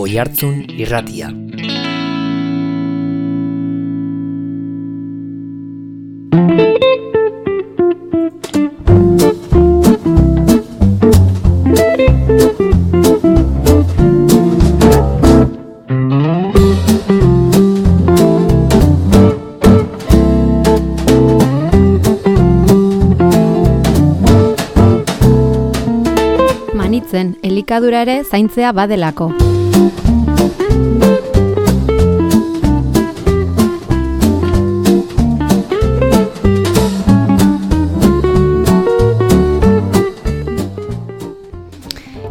Oihartzun Irratia. Manitzen, elikadura ere zaintzea badelako.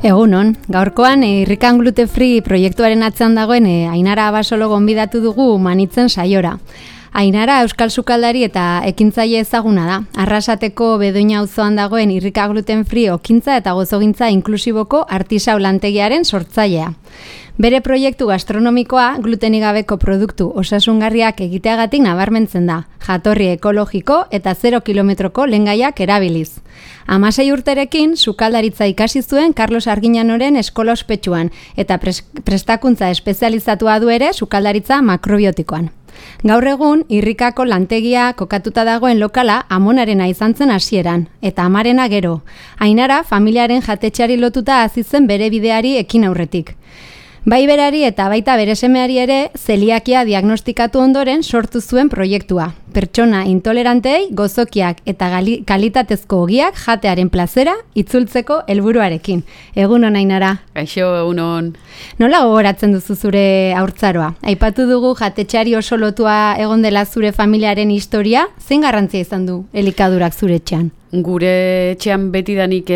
Egunon, gaurkoan Irrikan Gluten Free proiektuaren atzean dagoen Ainara Abasolo gonbidatu dugu Manitzen saiora. Ainara euskal sukaldari eta ekintzaile ezaguna da. Arrasateko Bedoina auzoan dagoen Irrika Gluten Free okintza eta gozogintza inklusiboko artisau lantegiaren sortzailea. Bere proiektu gastronomikoa glutenik gabeko produktu osasungarriak egiteagatik nabarmentzen da, jatorri ekologiko eta 0 kilometroko lehengaiak erabiliz. 16 urterekin sukaldaritza ikasi zuen Carlos Arguiñanoren eskola ospetsuan eta prestakuntza espezializatua du ere sukaldaritza makrobiotikoan. Gaur egun, Irrikako lantegia kokatuta dagoen lokala amonarena izan zen hasieran, eta amarena gero. Ainara, familiaren jatetxeari lotuta hasi zen bere bideari ekin aurretik. Bai berari eta baita bere semeari ere zeliakia diagnostikatu ondoren sortu zuen proiektua. Pertsona intolerantei gozokiak eta kalitatezko ogiak jatearen plazera itzultzeko helburuarekin. Egunon, Ainara. Kaixo, egunon. Nola gogoratzen duzu zure haurtzaroa? Aipatu dugu jatetxeari oso lotua egon dela zure familiaren historia, zein garrantzia izan du elikadurak zure etxean? Gure etxean betidanik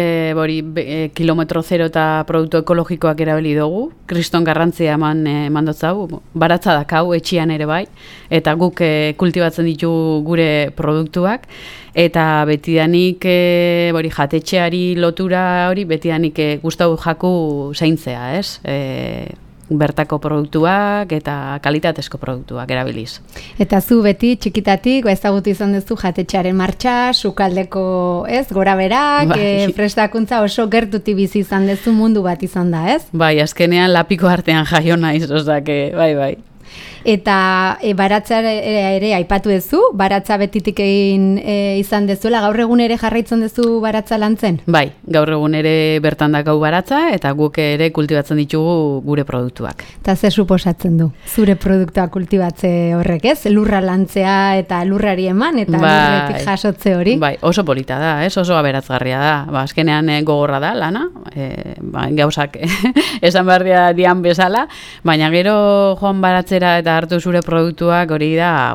kilometro zero eta produktu ekologikoak erabili dugu. Kriston garrantzia eman dotzau, baratza dakau etxean ere bai, eta guk kultibatzen ditu gure produktuak, eta betidanik jatetxeari lotura hori betidanik gustatu jaku zaintzea, ez? Bertako produktuak eta kalitatezko produktuak erabiliz. Eta zu beti txikitatik ezagutu izan duzu jatetxearen martxa, sukaldeko, ez, gora berak, prestakuntza oso gertuti bizi izan duzu mundu bat izan da, ez? Bai, azkenean lapiko artean jaio naiz, bai. Eta baratza ere aipatu duzu, baratza betitik egin izan dezuela, gaur egun ere jarraitzen duzu baratza lantzen? Bai, gaur egun ere bertan dakau baratza eta guk ere kultibatzen ditugu gure produktuak. Eta zer suposatzen du, zure produktuak kultibatze horrek, ez? Lurra lantzea eta lurrari eman eta lurretik jasotze hori? Bai, oso polita da, ez? Oso aberatzgarria da. Azkenean gogorra da lana, gauzak esan behar dian bezala, baina gero joan baratzera eta hartu zure produktuak hori da,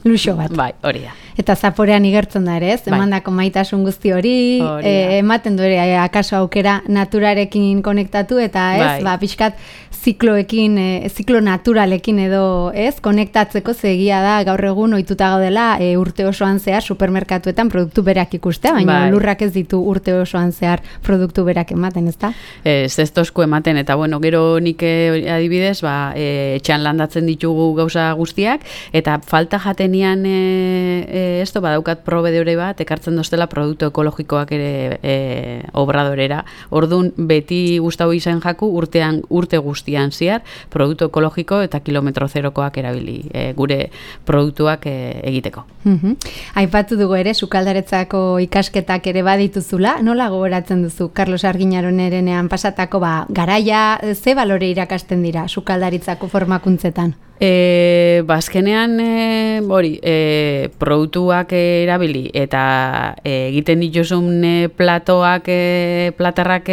luxo bat. Bai, hori da. Eta zaporean igertzen da ere, ez? Emandako maitasun guzti hori, ematen du ere akaso aukera naturarekin konektatu eta ez, pixkat ziklo naturalekin edo, ez, konektatzeko zegia da gaur egun ohituta gaudela urte osoan zehar supermerkatuetan produktu berak ikustea, baina lurrak ez ditu urte osoan zehar produktu berak ematen, ezta? Ez tosku ematen, eta gero nik adibidez, etxean landatzen ditugu gauza guztiak, eta falta jatenian esto badaukat probedeore bat, ekartzen dostela produktu ekologikoak ere obradorera. Ordun beti gustatu izan jaku urte guztian ziar produktu ekologiko eta kilometro zerokoak erabili gure produktuak egiteko. Aipatu dugu ere sukaldaretzako ikasketak ere badituzula. Nola gogoratzen duzu Carlos Arguiñanorenean pasatako garaia, ze balore irakasten dira sukaldaritzako formakuntzetan? Azkenean produktuak erabili eta egiten dituzun platarrak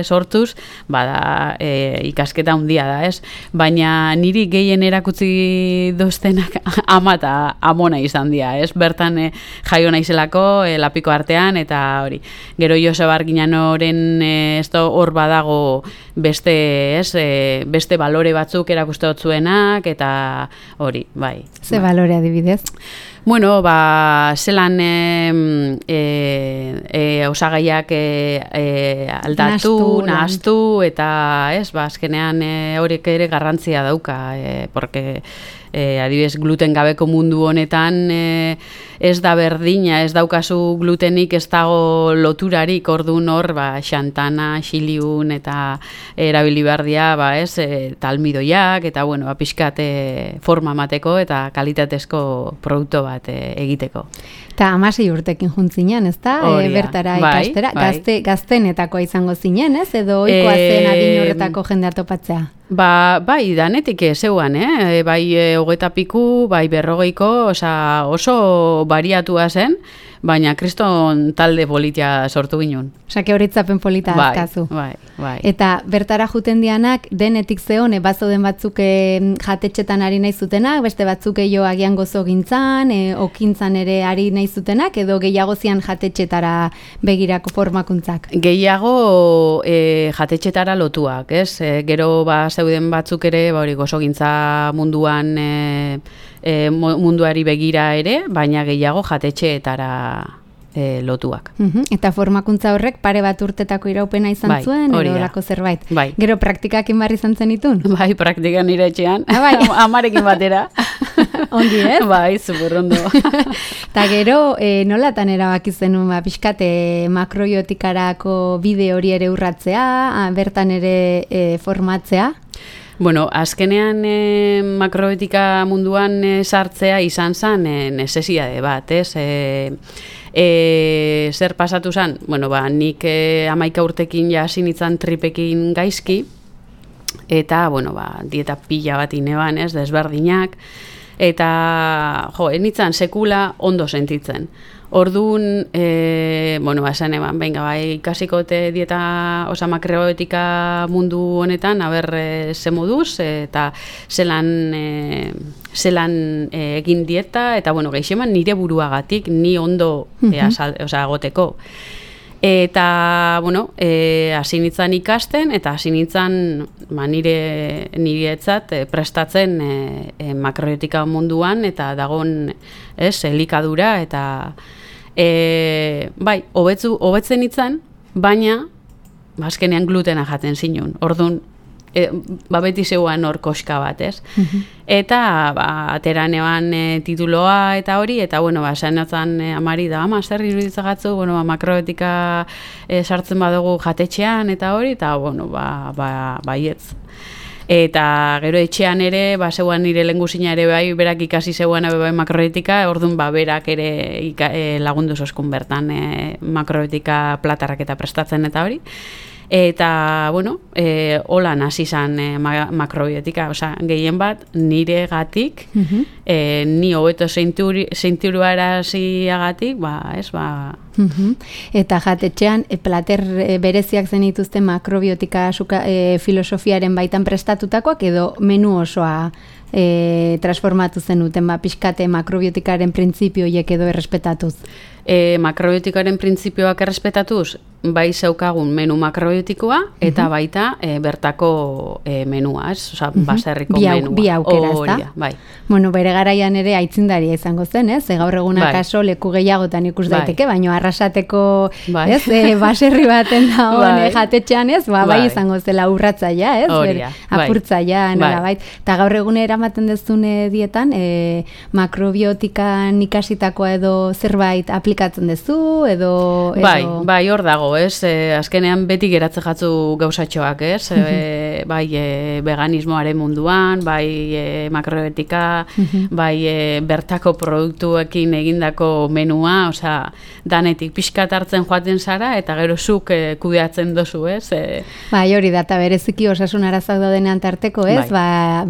sortuz, bada ikasketa handia da, ez? Baina niri gehien erakutsi doztenak ama eta amona izan dira, ez? Bertan jaio naizelako lapiko artean eta hori. Gero Joseba Arguiñanoren hor badago beste balore batzuk erakuste dotzuenak eta hori, bai. Ze balore adibidez? Bueno, zelan osagaiak aldatu, nahaztu, eta azkenean horiek ere garrantzia dauka, porque adibidez gluten gabeko mundu honetan ez da berdina, ez daukazu glutenik, ez dago loturarik, orduan hor, xantana, xiliun eta erabili behar dira, talmidoiak, eta pixkat forma mateko eta kalitatezko produktu bat egiteko. Eta 16 urtekin juntzinen, ez da? Bertara ikastera. Gaztenetakoa izango zinen, ez? Edo oikoa zen adin horretako jendea topatzea? Bai, danetik zeuan, bai 20 piku, bai 40ko, oso bariatua zen, baina kriston talde politia sortu ginen. Que horitzapen polita azkazu. Bai. Eta bertara juten dianak, denetik zeon, bazoden batzuk jatetxetan ari nahi zutenak, beste batzuk agian gozo gintzan, okintzan ere ari nahi zutenak, edo gehiago zian jatetxetara begirako formakuntzak? Gehiago jatetxetara lotuak, ez? Gero zeuden batzuk ere, hori gozo gintza munduan munduari begira ere, baina gehiago jatetxeetara lotuak. Eta formakuntza horrek pare bat urtetako iraupena izan zuen, edo lako zerbait. Bai. Gero praktikakin barri izan zen itun? Bai, praktikan nire etxean, amarekin batera. Ongi, ez? Bai, superondo. Eta gero, nolatan erabaki zenun, pixkate makrobiotikarako bide hori ere urratzea, bertan ere formatzea? Bueno, azkenean makrobiotika munduan sartzea izan zen necesidade bat, ez? Zer pasatu zen? Bueno, nik 11 urtekin hasi nintzen tripekin gaizki, eta, dieta pila bat ineban, ez, desberdinak, eta, nintzen sekula ondo sentitzen. Orduan, esan eban, ikasikote dieta, makrobiotika mundu honetan, ze moduz, eta zelan egin dieta, eta, gehixeman nire buruagatik, ni ondo agoteko. Eta, hasi nintzen ikasten, eta hasi nintzen nire etzat prestatzen makrobiotika munduan, eta dagoen elikadura, eta hobetzen nintzen, baina azkenean glutena jaten zinun. Orduan, beti zeuan hor koska bat, ez? Eta, ateran eban tituloa eta hori, eta, esan notzen amari da, zer iruditzagatzu, makrobiotika sartzen badugu jatetxean eta hori, eta, baietz. Eta gero etxean ere, zeuan nire lehengusina ere berak ikasi zeuan makrobiotika, orduan berak ere lagundu zoskun bertan makrobiotika platarrak eta prestatzen eta hori. Eta, holan hasi izan makrobiotika, gehien bat nire gatik, ni hobeto zeinturuara ziagatik, Eta jatetxean, plater bereziak zenituzten makrobiotika filosofiaren baitan prestatutakoak, edo menu osoa transformatu zenuten, pixkate makrobiotikaren printzipioiek edo errespetatuz? Makrobiotikaren printzipioak errespetatuz, bai zeukagun menu makrobiotikoa, eta baita bertako menua, ez? Baserriko menua. Bi aukera, ez da? Bai. Bere garaian ere aitzindaria izango zen, ez? Gaur egunak aso leku gehiagotan ikus daiteke, baina arrasateko, ez? Baserri baten dagoen jatetxean, ez? Bai izango zela urratzaia, ez? Apurtzaia, nola bait. Eta gaur egune eramaten dezune dietan, makrobiotikan ikasitakoa edo zerbait aplikatzen dezu, edo... Bai, hor dago, ez? Azkenean beti geratze jatzu gauzatxoak, ez? Bai, veganismoaren munduan, bai, makrobiotika, bai, bertako produktuekin egindako menua, danetik pixkat hartzen joaten zara, eta gero zuk kudeatzen dozu, ez? Bai, hori da, eta bereziki osasun arazak daudenean tarteko, ez?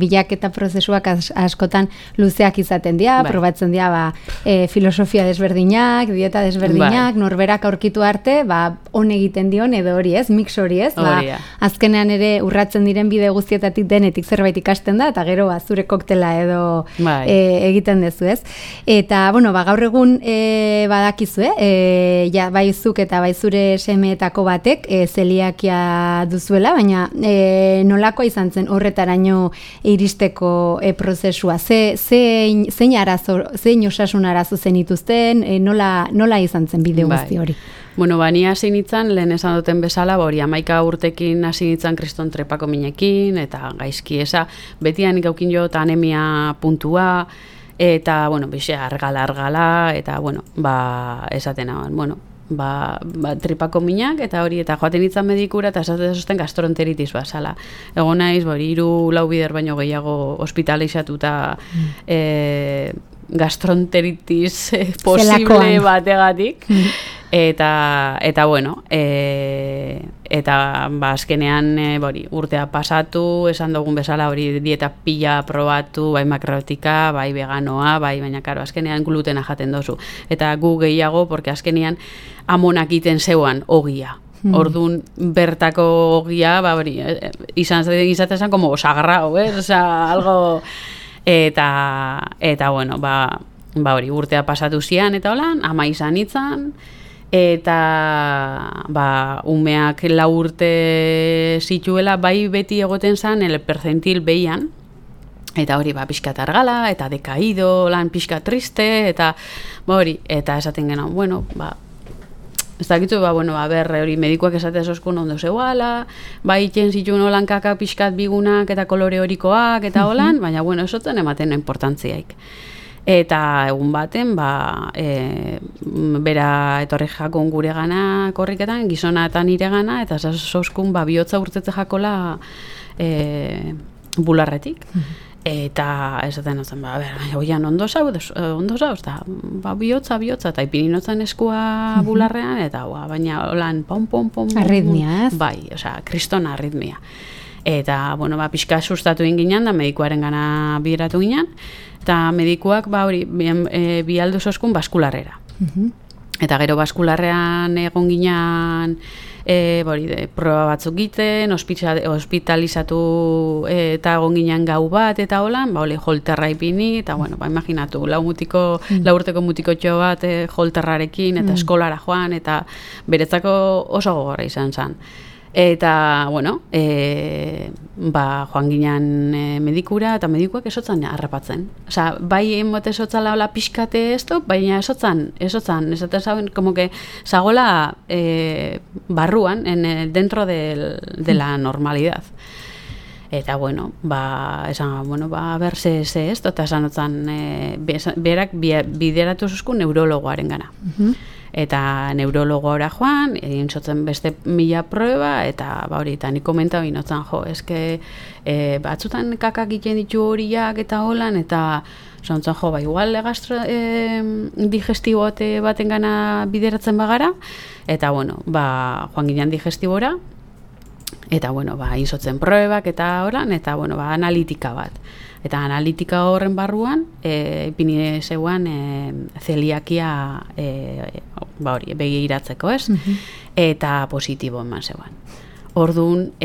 Bilaketa prozesuak askotan luzeak izaten dira, probatzen dira, filosofia desberdinak, dieta desberdinak, norberak aurkitu arte, hon egiten dion, edo hori, ez? Mix hori, ez? Azkenean ere urratzen diren bide guztietatik denetik zerbait ikasten da, eta gero zure koktela edo egiten dezu, ez? Eta, gaur egun badakizu, ja baizuk eta baizure semeetako batek zeliakia duzuela, baina nolakoa izan zen horretaraino iristeko prozesua? Zein osasun arazo zenituzten, nola izan zen bideo guzti hori? Bueno, ni hasi nintzen, lehen esan duten bezala, hori 11 urtekin hasi nintzen kriston trepako minekin, eta gaizki eza, betian ikaukin jo eta anemia puntua, eta, bueno, bixe, argala, eta, bueno, esaten hauen, bueno, tripako minak, eta hori, eta joaten nintzen medikura, eta esaten gastroenteritis bazala. Egon naiz, 3-4 bider baino gehiago hospitalizatuta gastroenteritis posible bategatik. Eta bueno, eta azkenean urtea pasatu, esan dugun bezala hori dieta pila probatu, bai makrobiotika, bai veganoa, baina karo, azkenean glutena jaten dozu. Eta gu gehiago, porque azkenean amonak iten zeuan ogia. Orduan bertako ogia, izatezan como sagrao, oza, algo... Eta bueno, hori urtea pasatu zian, eta holan, ama izan itzan, eta umeak 4 urte zituela, bai beti egoten zan, el percentil behian, eta hori pixkat argala, eta dekaido, lan pixkat triste, eta hori, eta esaten genuen, bueno, ez dakitu, hori medikuak esate zoskun ondo zeuala, iten zituen holan kaka pixkat bigunak eta kolore horikoak eta holan, baina, esotzen ematen importantziaik. Eta egun baten, bera etorri jakon gure gana korriketan, gizona eta nire gana, eta zoskun bihotza urtetze jakola bularretik. Eta esaten zen, oian ondo zau, eta bihotza, eta ipininotzen eskua bularrean, eta baina holan, pom. Arritmia, ez? Bai, kriston arritmia. Eta, pixka sustatu inginen, da medikuaren gana bideratu ginen, eta medikuak, bi aldu zoskun baskularrera. Eta gero baskularrean egon ginen, proba batzuk giten, hospitalizatu eta egon ginen gau bat, eta holan, holterra ipini, eta, imaginatu, 4 urteko mutikotxo bat holterrarekin, eta eskolara joan, eta beretzako oso gogorra izan zen. Eta, joan ginen medikura, eta medikuak esotzan harrapatzen. Osa, bai emote esotzala hola pixkate baina esotzan, esaten zauen, como que zagola barruan, dentro de la normalidad. Eta, esan, ber, ze esto, eta esan otzan, berak bideratu zuzku neurologoaren gana. Eta neurologora joan, egin zotzen beste 1000 prueba, eta hori, eta nik komenta binotzen, eske batzutan kakak egiten ditu horiak eta holan, eta zontzen, igual digestibote baten gana bideratzen bagara, eta, joan ginen digestibora, eta, inzotzen pruebak eta holan, eta, analitika bat. Eta analitika horren barruan, ipini zeuan zeliakia begiratzeko, ez? Eta positibo eman zeuan. Orduan,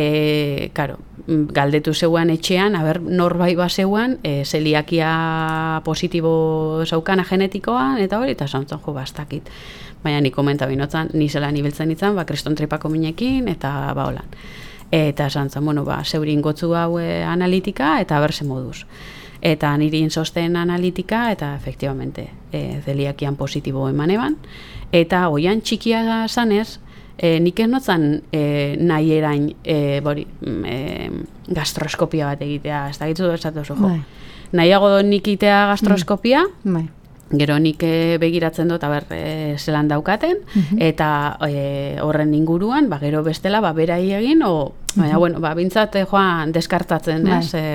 galdetu zeuan etxean, norbait zeuan, zeliakia positibo zaukana genetikoan, eta hori, eta zantzen bastakit. Baina nik komenta binotzen, nizelan ibiltzen itzan, kriston tripako minekin, eta holan. Eta esan zen, zeurin gotzu hau analitika, eta berse moduz. Eta niri inzosten analitika, eta efektibamente zeliakian positibo eman eban. Eta oian txikia zanez, nik ez notzan nahi erain gastroskopia bat egitea, ez da gitzu esatu zo. Nahiago nik itea gastroskopia, gero nik begiratzen dut, zelan daukaten, eta horren inguruan, gero bestela, berai egin, baina, bintzat joan deskartatzen,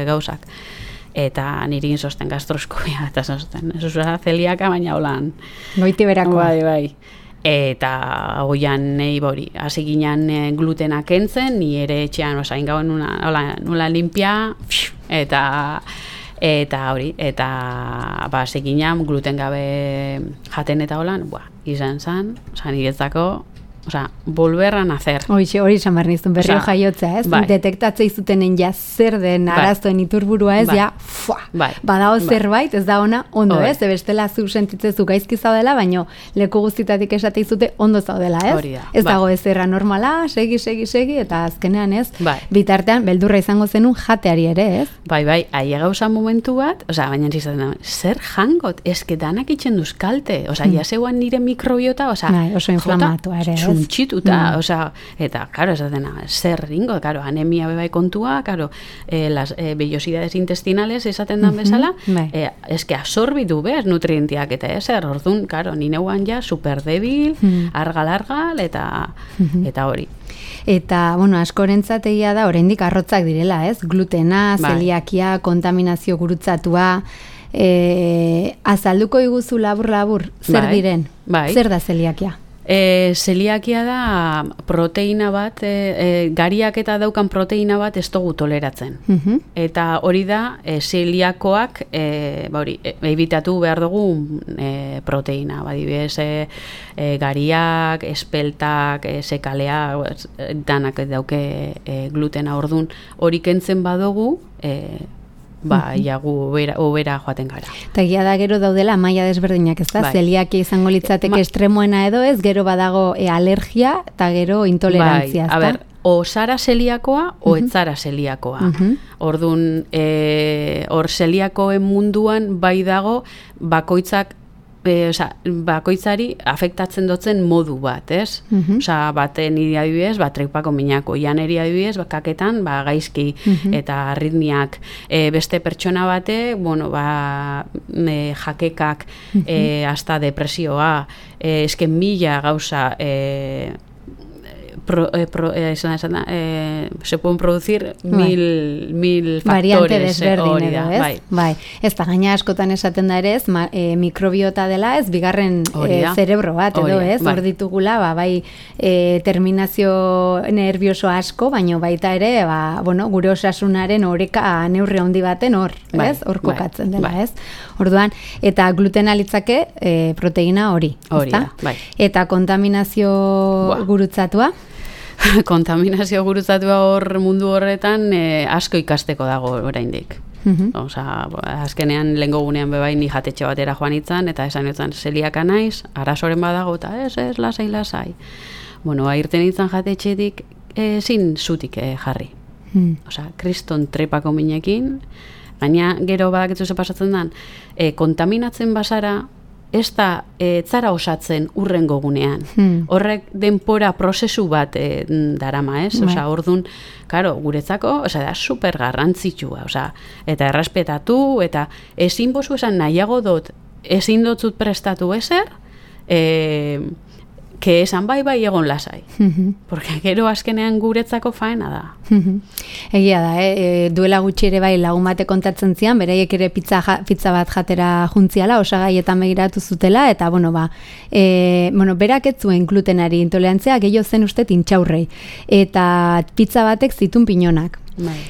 gauzak. Eta niri inzosten gastroskopia, eta zosten, ez uzera zeliaka, baina holan. Goiti berako. Bai. Eta hoian nahi hasi ginen glutena kentzen, ni ere etxean osain gauen nula limpia, eta hori, eta seginan gluten gabe jaten eta holan, izan zen, niretzako volver a nacer. Hori esan behar nizun, berrio jaiotzea, ez? Bai. Detektatzei zutenen ja zer den arazoen iturburua ez, ja, badago zerbait, ez da ona, ondo, ez? Bestela zu sentitzezu gaizki zaudela, baino leku guztitatik esate izute ondo zaudela, ez? Hori da. Ez dago ez erra normala, segi, eta azkenean, ez? Bitartean, beldurra izango zenun jateari ere, ez? Bai, aia gauza momentu bat, baina zizaten da, zer jangot, eske danak itxen duz kalte, jaseuan nire mikrobiota, oso inflamatua ere, ez? Txituta, eta, karo, ez dena, zer ringo, karo, anemia bebai kontua, karo, las vellosidades intestinales esaten dan bezala, eske absorbitu bez nutrientiak, eta ezer, orduan, karo, nineuan ja superdebil, argal, eta hori. Eta, askorentzat egia da, oraindik arrotzak direla, ez? Glutena, zeliakia, kontaminazio gurutzatua, azalduko iguzu labur, zer diren? Zer da zeliakia? Zeliakia da proteina bat, gariak eta daukan proteina bat ez dugu toleratzen. Eta hori da, zeliakoak ebitatu behar dugu proteina. Badibidez, gariak, espeltak, sekaleak, danak dauke glutena orduan. Hori kentzen badugu, jagu obera joaten gara. Eta egia da gero daudela maila desberdinak, ez da? Zeliakia izango litzateke estremoena edo ez, gero badago alergia eta gero intolerantzia, ez da? A ber, o zara zeliakoa, o etzara zeliakoa. Orduan, hor zeliakoen munduan bai dago bakoitzak bakoitzari afektatzen dutzen modu bat, ez? Baten niri adibidez, trepako minako, janeri adibidez, kaketan, gaizki eta arritmiak. Beste pertsona bate, jakekak, hasta depresioa, esken mila gauza, se pueden producir mil variante factores. Desberdin edo, ez? Bai. Ez da, gaina askotan esaten da ere, ez, mikrobiota dela, ez, bigarren zerebro bat, edo, ez? Hor ditugula, bai, terminazio nervioso asko, baino baita ere, gure osasunaren oreka neurri handi baten hor, ez? Hor kokatzen dela, ez? Orduan, eta glutena litzake proteina hori, ezta? Eta kontaminazio gurutzatua? Kontaminazio gurutzatua hor mundu horretan asko ikasteko dago oraindik. Azkenean lehengo gunean bebai ni jatetxe batera joan itzan, eta esan itzan zeliaka naiz, arazoren badago, eta ez, lasai. Irten itzan jatetxetik zin zutik jarri. Kriston trepako minekin, gaina gero badakitzu ze pasatzen dan, kontaminatzen basara, ez da zara osatzen urrengo gunean. Horrek denpora prozesu bat darama, ez? Orduan, guretzako, da super garrantzitsua, eta errespetatu, eta ezin bozu esan nahiago dut, ezin dotzut prestatu ezer, que esan bai egon lasai. Porque gero azkenean guretzako faena da. Egia da, duela gutxi ere bai lagun bate kontatzen zian, beraiek ere pizza bat jatera juntziala, osagaietan begiratu zutela, eta berak ez zuen glutenari intolerantzia, gehiago zen uste intxaurrei. Eta pizza batek zitun pinonak.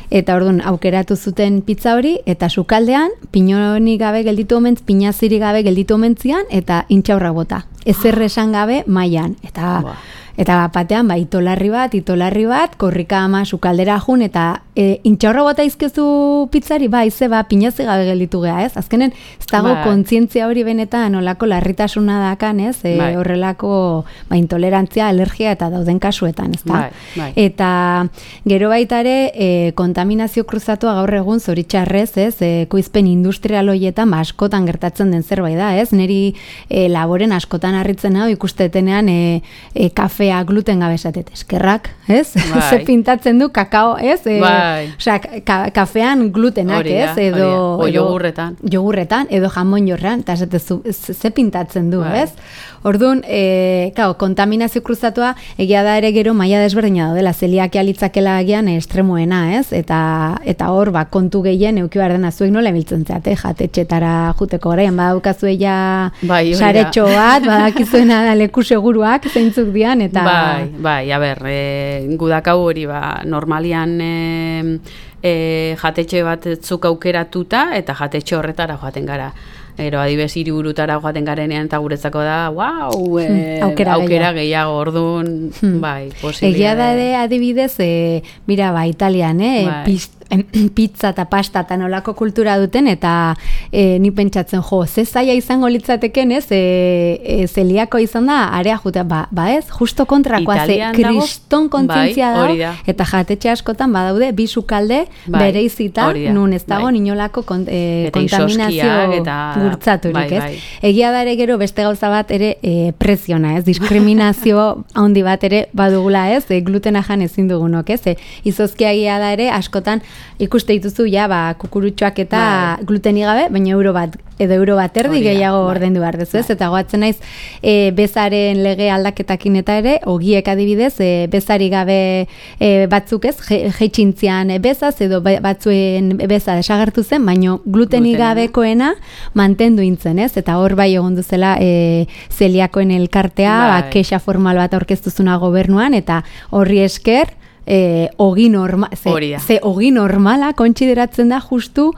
Eta orduan aukeratu zuten pizza hori, eta sukaldean pinonik gabe gelditu omentz, pinaziri gabe gelditu omentzian, eta intxaurra bota. Ezer esan gabe mailan. Eta batean, itolarri bat, korrika ama sukaldera jun, eta intxaurra bota izkezu pizzari, pinazi gabe gelditu geha, ez? Azkenen, ez dago kontzientzia hori benetan, olako larritasuna dakan, ez? Horrelako intolerantzia, alergia eta dauden kasuetan, ez da? Eta gero baita ere, kontaminazio kruzatua gaur egun zoritxarrez, ez? Koizpen industrial horietan, askotan gertatzen den zerbait da, ez? Neri laboren askotan harritzen hau ikustetenean kafea gluten gabe esatet, eskerrak, ez? Ze pintatzen du kakao, ez? Kafean glutenak, ez? Edo jogurretan. Jogurretan, edo jamon jorrean, eta ze pintatzen du, ez? Orduan, kontaminazio kruzatua, egia da ere gero maila desberdina daudela, zeliakia litzakela agian estremoena, ez? Eta hor, kontu gehien euki behar dena zuek nola emiltzen zeate, jatetxetara juteko garaian, badaukazu eia saretxo bat, badakizuena da leku seguruak, zeintzuk dian, eta... Bai, a ber, gudakau hori, normalian jatetxe bat zuk aukeratuta, eta jatetxe horretara joaten gara. Gero, adibez, hiriburutara joaten garenean eta guretzako da, wow, aukera gehiago, orduan, bai, posibilidade. Egia da ere, adibidez, mira, Italian, pizza eta pasta eta nolako kultura duten, eta ni pentsatzen, ze zaila izango litzateken, zeliako izan da, area jutea, ez, justo kontrakoa, kriston kontzientzia da, eta jatetxe askotan badaude, bi sukalde bereizita, nun ez dago inolako kontaminazio gurtzaturik, ez? Egia da ere gero beste gauza bat ere presiona, ez? Diskriminazio handi bat ere badugula, ez? Glutena jan ezin dugunok, ez? Izozkia egia da ere askotan ikuste dituzu kukurutxoak eta glutenik gabe, baina euro bat erdi gehiago ordaindu behar dezu, ez? Eta goatzen naiz bezaren lege aldaketakin eta ere, ogiek adibidez, bezari gabe batzuk ez, jeitxintzian bezaz, edo batzuen beza desagertu zen, baina glutenik gabekoena mantendu intzen, ez? Eta hor bai egon duzela zeliakoen elkartea, kexa formal bat aurkeztuzuna gobernuan, eta horri esker, ogi normala kontsideratzen da justu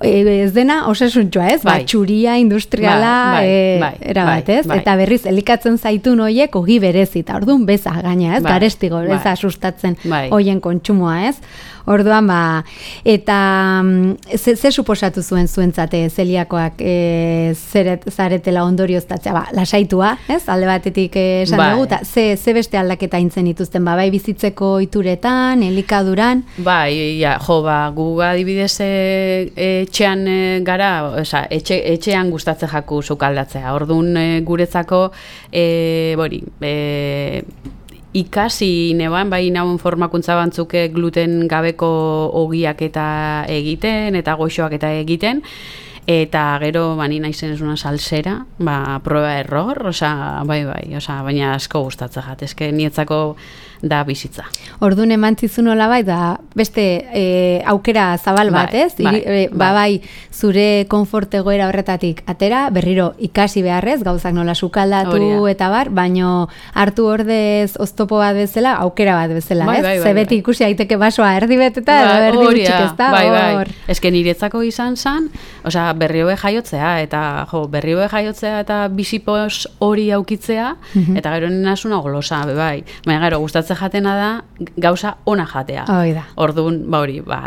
ez dena osasuntxoa, ez? Txuria, industriala, erabat, ez? Eta berriz, elikatzen zaitun hoiek ogi berezita, orduan beza gaina, ez? Garestigo, ez sustatzen hoien kontsumoa, ez? Orduan, eta ze suposatu zuentzate zeliakoak zaretela ondorioztatzea, lasaitua, ez? Alde batetik esan dugu, eta ze beste aldaketa intzen dituzten, bai bizitzeko ituretan, elikaduran? Gu adibidez etxean gara, etxean gustatzen jaku sukaldatzea. Orduan guretzako, ikasi neban, bai nauen formakuntza bantzuke gluten gabeko ogiak eta egiten, eta goxoak eta egiten, eta gero, ni naizen ez una salsera, prueba error, baina asko gustatzen jat, eske nietzako da bizitza. Orduan emantzizun hola da beste aukera zabal bat, ez? Bai, zure konfort egoera horretatik atera, berriro ikasi beharrez, gauzak nola sukaldatu eta baino hartu ordez oztopo bat bezala, aukera bat bezala, ez? Zebeti ikusi daiteke basoa erdi beteta, erdi gutxik ez da, hor. Eske niretzako izan zan, berriobe jaiotzea, eta bizipos hori aukitzea, eta gero ninasuna golosa, baina gero gustatzen jatena da, gauza ona jatea. Orduan,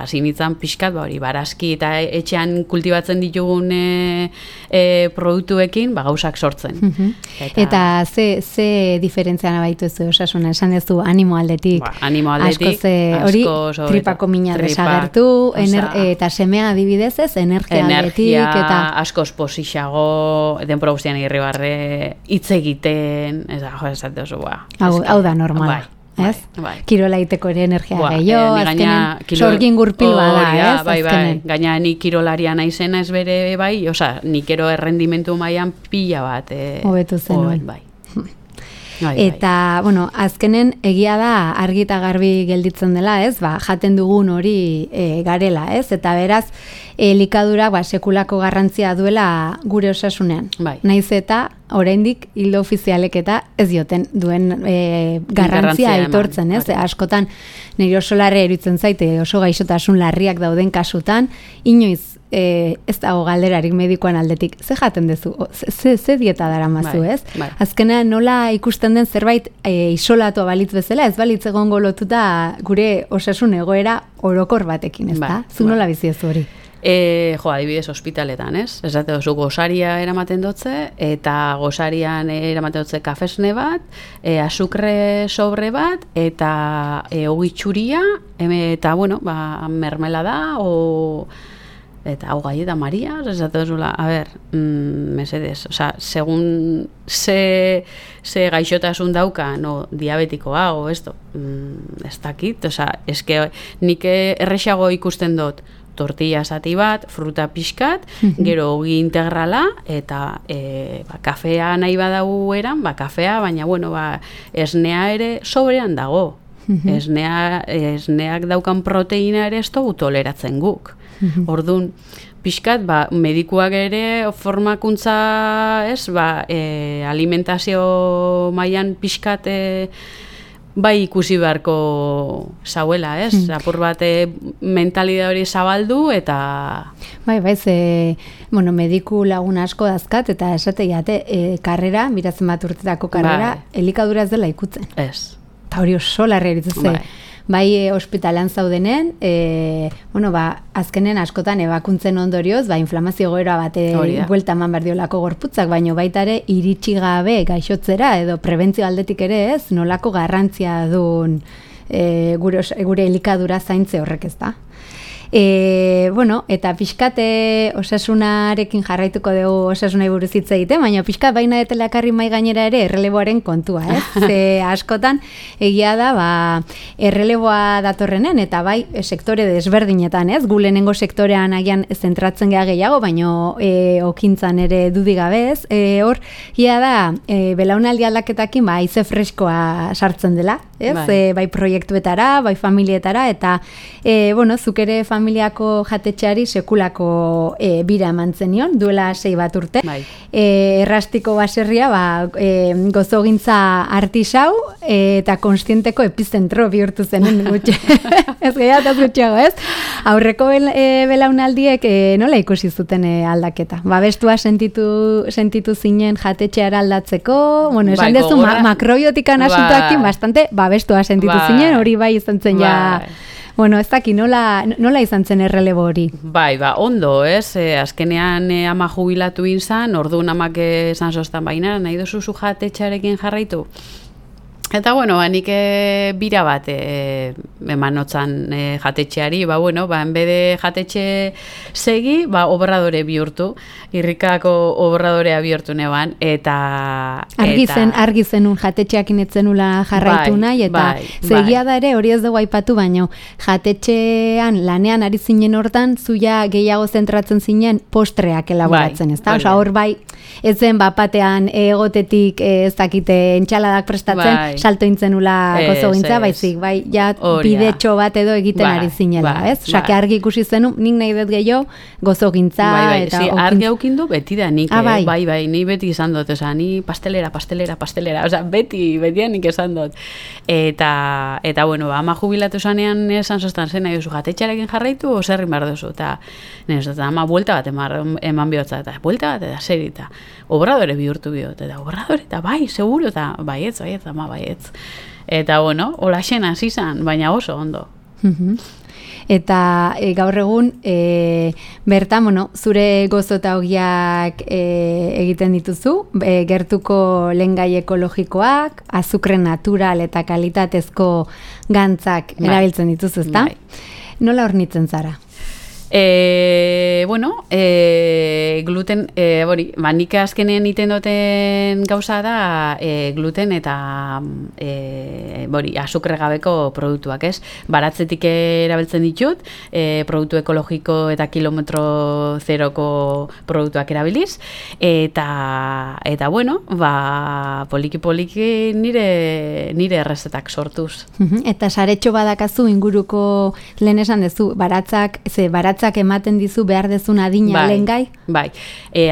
sinitzan pixkat, barazki eta etxean kultibatzen ditugun produktuekin, gauzak sortzen. Eta ze diferentziana baitu ez osasuna, esan ez du animo aldetik. Asko hori tripako mina desagertu, eta semea adibidez ez, energia aldetik. Asko esposixago, denpora guztian irribarre, hitz egiten, esate oso, hau da normala. Ez? Kirola iteko ere energia gehiago, azkenen sorgin gurpil bada, ez? Gaina ni kirolaria naizena ez bere nik ero errendimentu mailan pila bat. Hobetu zenuen. Eta, azkenen egia da argi eta garbi gelditzen dela, ez? Jaten dugun hori garela, ez? Eta beraz, elikadura sekulako garrantzia duela gure osasunean. Naiz eta oraindik hildo ofizialek eta ez dioten duen garrantzia aitortzen, ez? Askotan nire oso larre eruditzen zaite, oso gaixotasun larriak dauden kasutan, inoiz ez dago galderarik medikoan aldetik, ze jaten duzu, ze dieta daramazu, ez? Azkenean nola ikusten den zerbait isolatua balitz bezala, ez balitz egongo lotuta gure osasun egoera orokor batekin, ez da? Zu nola bizi ez hori? Adibidez ospitaletan, ez? Ez dut oso gosaria eramaten dutze, eta gosarian eramaten dutze kafesne bat, azukre sobre bat, eta ogitxuria, eta, mermelada, eta hau gai eta Maria, ez dut zula, mesedez, segun ze gaixotasun dauka, diabetikoa, ez dakit, eske nik errexago ikusten dut, tortilla zati bat, fruta pixkat, gero ogi integrala, eta kafea nahi badau eran, kafea, baina, esnea ere sobrean dago. Esneak daukan proteina ere ez dugu toleratzen guk. Orduan, pixkat, medikuak ere formakuntza, alimentazio mailan pixkat bai ikusi beharko zauela, ez? Apur bat mentalidade hori zabaldu eta... Bai, bueno, mediku lagun asko dazkat eta esate karrera, biratzen bat urtetako karrera, elikadura ez dela ikutzen. Ez. Eta hori oso larria eritze. Bai, ospitalan zaudenen, bueno, azkenen askotan ebakuntzen ondorioz, inflamazio goera bate buelta eman berdiolako gorputzak, baino baita ere iritsi gabe gaixotzera edo prebentzio aldetik ere ez, nolako garrantzia duen gure elikadura zaintze horrek ez da. Bueno, eta pixkate osasunarekin jarraituko dugu osasunai buruz hitz egiten, baina pixkat baina etelakarri mai gainera ere erreleboaren kontua, ez? Ze askotan egia da, erreleboa datorrenen eta bai sektore desberdinetan, ez? Gu lehenengo sektorean agian zentratzen gea gehiago, baino okintzan ere dudik gabe, ez? Hor, ia da, belaunaldi aldaketakin haize freskoa sartzen dela, ez? Bai proiektuetara, bai familietara, eta bueno, zuk ere familiako jatetxeari sekulako bira eman zenion, duela 6 bat urte. Errastiko baserria, gozogintza artisau eta konstienteko epizentro bihurtu zen gutxe. Ez gehiataz gutxeago, ez? Aurreko belaunaldiek nola ikusi zuten aldaketa? Babestua sentitu zinen jatetxeara aldatzeko, bueno, esan dezu makrobiotikan asuntoakin bastante babestua sentitu zinen, hori bai izan zen ja... Bueno, ez daki, nola izan zen errelebo hori? Bai, ondo, ez? Azkenean ama jubilatu inzan, orduan amak esan zoztan baina, nahi dozu jatetxearekin jarraitu? Eta, bueno, nik bira bat emanotzan jatetxeari, bueno, enbede jatetxe segi, obradore bihurtu, irrikako obradorea bihurtu neban, eta... Argi zenun jatetxeakin etzenula jarraitu nahi, eta zegia da ere, hori ez dugu aipatu, baino, jatetxean lanean ari zinen hortan, zuia gehiago zentratzen zinen postreak elaboratzen, ez da? Osa, hor bai, ez zen bapatean egotetik ez dakite entxaladak prestatzen, salto intzenula gozogintza, baizik, bai, ja bidetxo bat edo egiten ari zinela, ez? Osake argi ikusi zenu, nik nahi dut gehiago gozogintza eta okintza. Argi aukindu beti da nik, bai, ni beti izan dut, oza, ni pastelera, oza, beti nik esan dut. Eta bueno, ama jubilatu zanean esan zoztan zen nahi duzu jatetxarekin jarraitu, oserrin behar duzu, eta ama buelta bat eman bihotza, eta buelta bat, eta serita, obradore bihurtu bihot, eta obradore, eta bai, seguro, eta baietz, ama baietz. Eta bueno, hola xena zizan, baina oso ondo. Eta gaur egun, bertan, bueno, zure gozo eta ogiak egiten dituzu, gertuko lengai ekologikoak, azukre natural eta kalitatezko gantzak erabiltzen dituzu, ezta? Nola hornitzen zara? Bueno, gluten, nik azkenean iten duten gauza da gluten eta azukre gabeko produktuak, ez? Baratzetik erabiltzen ditut, produktu ekologiko eta kilometro zeroko produktuak erabiliz, eta bueno, poliki nire errezetak sortuz. Eta saretxo badakazu inguruko lehen esan dezu, baratzak ematen dizu behar dezun adina lengai? Bai,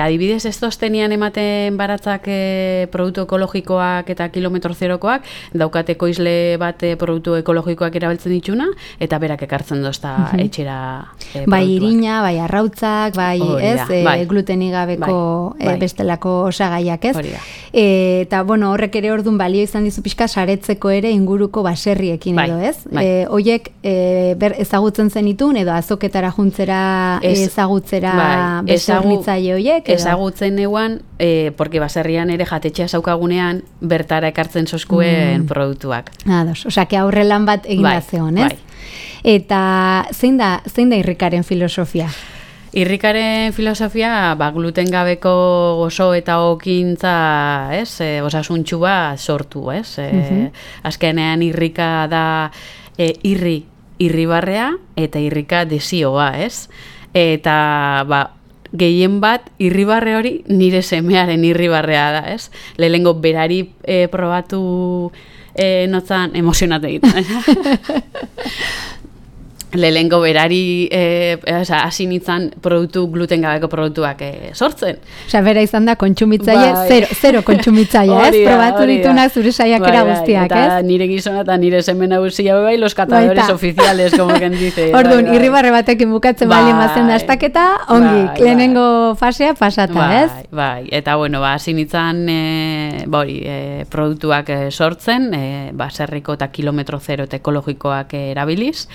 adibidez ez toztenian ematen baratzak produktu ekologikoak eta kilometro zerokoak, daukateko izle bat produktu ekologikoak erabiltzen dituna, eta berak ekartzen dozta etxera produktuak. Bai irina, bai arrautzak, bai glutenik gabeko bestelako osagaiak, ez? Eta, bueno, horrek ere orduan balio izan dizu pixka saretzeko ere inguruko baserriekin edo, ez? Hoiek ezagutzen zenitun edo azoketara juntzera ezagutzera beste hornitzaile horiek? Ezagutzen neuan, porque baserrian ere jatetxea zaukagunean bertara ekartzen soskuen produktuak. Ados, osake aurrelan bat egin da zeon, ez? Eta zein da irrikaren filosofia? Irrikaren filosofia, gluten gabeko gozo eta okintza, ez? Osasuntxu bat sortu, ez? Azkenean irrika da irribarrea eta irrika desioa, ez? Eta, gehien bat, irribarre hori nire semearen irribarrea da, ez? Lehengo berari probatu notzan emozionatu egiten. lehengo berari hasi nintzen produktu gluten gabeko produktuak sortzen. Osea, bera izan da kontsumitzaile, zero kontsumitzaile, ez? Probatu ditunak zure saiakera guztiak, ez? Eta nire gizona eta nire semen nagusia bai, los catadores oficiales, como quien dice. Orduan, irribarre batekin bukatzen balien bazen dastaketa, ongi, lehenengo fasea pasata, ez? Bai, eta bueno, hasi nintzen produktuak sortzen, baserriko eta kilometro zero eta ekologikoak erabiliz.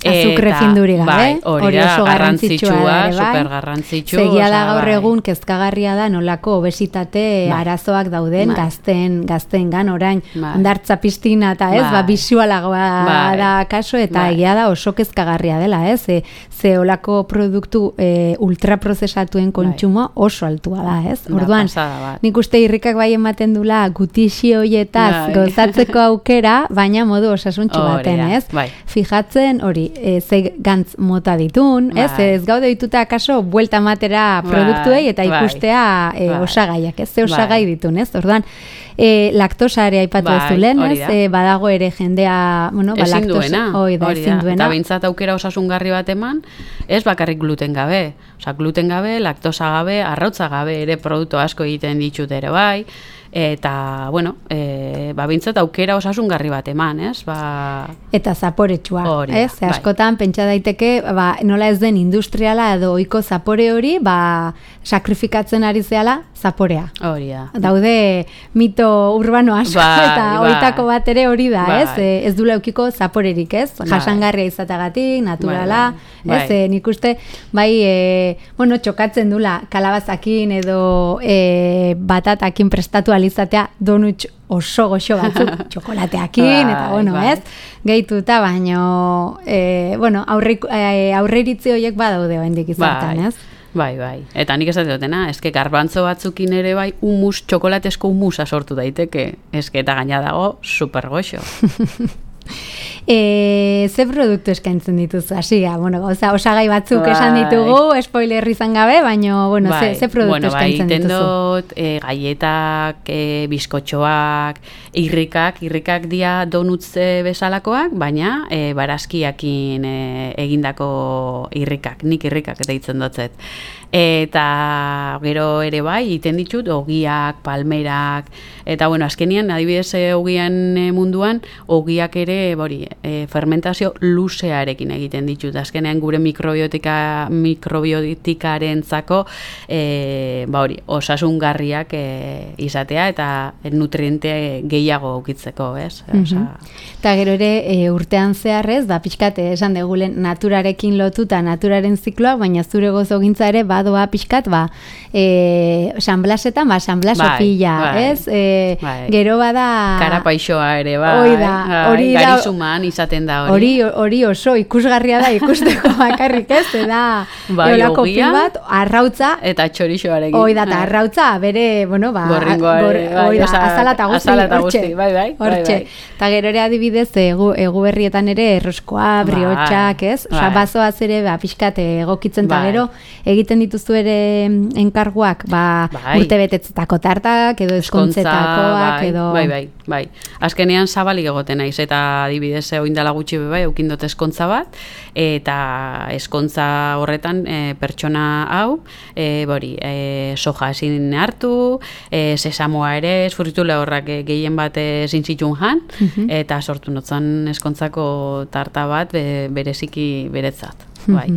Azukre finduri gabe, hori oso garrantzitsua, super garrantzitsu. Segia da gaur egun kezkagarria da nolako obesitate arazoak dauden gazteengan orain hondartza piztina eta ez, bisualagoa da kaso eta egia da oso kezkagarria dela, ez? Ze olako produktu ultraprozesatuen kontsumo oso altua da, ez? Orduan, nik uste irrikak bai ematen dula gutixi hoietaz gozatzeko aukera, baina modu osasuntsu baten, ez? Fijatzen hori ze gantz mota ditun, ez gaude dituta akaso buelta matera produktuei eta ikustea osagaiak, ez ze osagai ditun, ez? Orduan, laktosa ere aipatu ez dulen, ez? Badago ere jendea, ezin duena, eta bintzat aukera osasungarri bat eman, ez bakarrik gluten gabe, gluten gabe, laktosa gabe, arrautza gabe ere produktu asko egiten ditut ere bai, eta, bueno, bintzat aukera osasungarri bat eman, ez? Eta zaporetsua, ez? Askotan, pentsa daiteke, nola ez den industriala edo ohiko zapore hori, sakrifikatzen ari zehala zaporea. Hori da. Daude mito urbano asko, eta oitako bat ere hori da, ez? Ez du leukiko zaporerik, ez? Jasangarria izatagatik, naturala, ez? Nik uste, txokatzen dula kalabazakin edo batatakin prestatu alizatea donutx oso goxo batzuk, txokolateakin, eta ez? Gehituta, baino, aurreiritzi horiek badaude oendik izaten, ez? Bai. Eta nik esate dutena, eske garbantzo batzukin ere bai, txokolatesko humusa sortu daiteke, eske eta gaina dago super goxo. Ze produktu eskaintzen dituzu, hasia, osagai batzuk esan ditugu, spoiler izan gabe, baina, ze produktu eskaintzen dituzu? Iten dut, gaietak, bizkotxoak, irrikak dia donutz bezalakoak, baina barazkiakin egindako irrikak, nik irrikak deitzen dutzet. Eta gero ere bai, iten ditut, ogiak, palmerak, eta azkenian, adibidez ogian munduan, ogiak ere, fermentazio luzearekin egiten ditut. Azkenean gure mikrobiotikarentzako osasungarriak izatea eta nutriente gehiago ukitzeko, ez? Eta gero ere urtean zeharrez, pixkat esan degulen naturarekin lotuta, naturaren zikloa, baina zure gozogintza ere badoa pixkat, San Blasetan, San Blasopila, ez? Gero bada... Karapaixoa ere, hori garizuman izaten da hori. Hori oso ikusgarria da ikusteko bakarrik, ez? Eta eolako pil bat, arrautza. Eta txorixoarekin. Hoi da, eta arrautza, bere, azala eta guzti, hortxe. Eta gero ere adibidez, egu berrietan ere erroskoa, briotxak, ez? Osa, bazoaz ere, pixkat egokitzen, eta gero, egiten dituzu ere enkarguak, urte betetzetako tartak, edo eskontzetakoak, edo... Bai. Azkenean zabalik egoten naiz, eta adibidez oindala gutxi bai, eukindot eskontza bat, eta eskontza horretan pertsona hau, soja ezin hartu, sesamoa ere, esfurritule horrak gehien bat zintzitun jan, eta sortu notzan eskontzako tarta bat bereziki beretzat. Bai.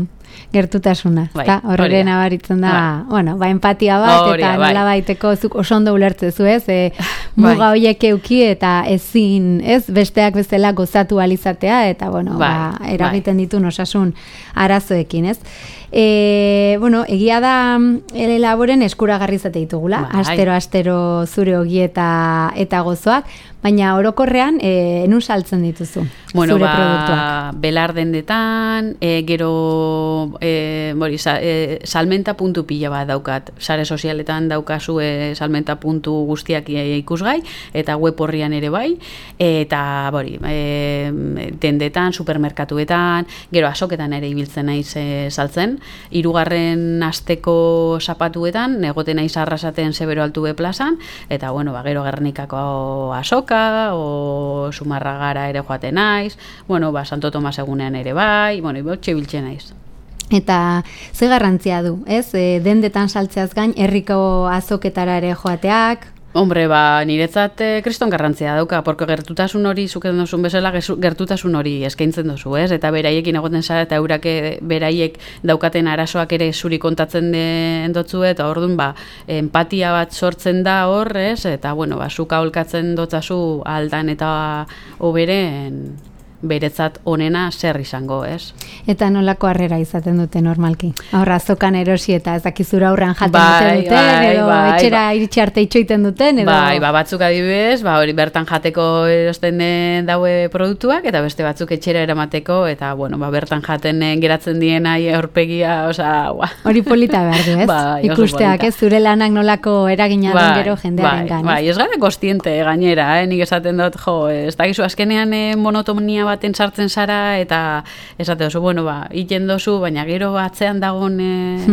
Gertutasuna, horre nabaritzen da, empatia bat, eta nola baiteko zuk oso ondo ulertzezu, ez? Muga horiek euki eta ezin, ez? Besteak bezala gozatu alizatea, eta, eragiten ditu osasun arazoekin, ez? Egia da laboren eskuragarri izate ditugula, astero zure ogi eta gozoak, baina orokorrean nun saltzen dituzu zure produktuak? Belardendetan, gero salmenta puntu pila bat daukat. Sare sozialetan daukazu salmenta puntu guztiak ikusgai, eta web horrian ere bai, eta dendetan, supermerkatuetan, gero azoketan ere ibiltzen naiz saltzen, 3. asteko zapatuetan, egoten naiz Arrasaten Zebero Altube plazan, eta gero Gernikako azoka, o Zumarragara ere joaten naiz, Santo Tomas egunean ere bai, txe biltzen naiz. Eta ze garrantzia du, ez? Dendetan saltzeaz gain, herriko azoketara ere joateak? Hombre, niretzat kriston garrantzia dauka, porque gertutasun hori, zuken duzun bezala, gertutasun hori eskaintzen duzu, ez? Eta beraiekin egoten zara, eta eurak beraiek daukaten arazoak ere zuri kontatzen dotzu, eta orduan, empatia bat sortzen da hor, ez? Eta, zuka aholkatzen dotzazu aldan eta oberen beretzat onena zer izango, ez? Eta nolako harrera izaten dute normalki? Aurra, azokan erosi eta ez dakizura aurran jaten duten, edo etxera iritsi arte itxoiten duten, edo... Batzuk adibidez, hori bertan jateko erosten daue produktuak, eta beste batzuk etxera eramateko, eta, bertan jaten geratzen diena aurpegia, Hori polita behar du, ez? Ikusteak, ez? Zure lanak nolako eragina den gero jendearen gan. Ez gara kostiente gainera, nik esaten dut, ez dakizu, azkenean monotonia baten sartzen zara, eta esate dozu, iten dozu, baina gero atzean dagoen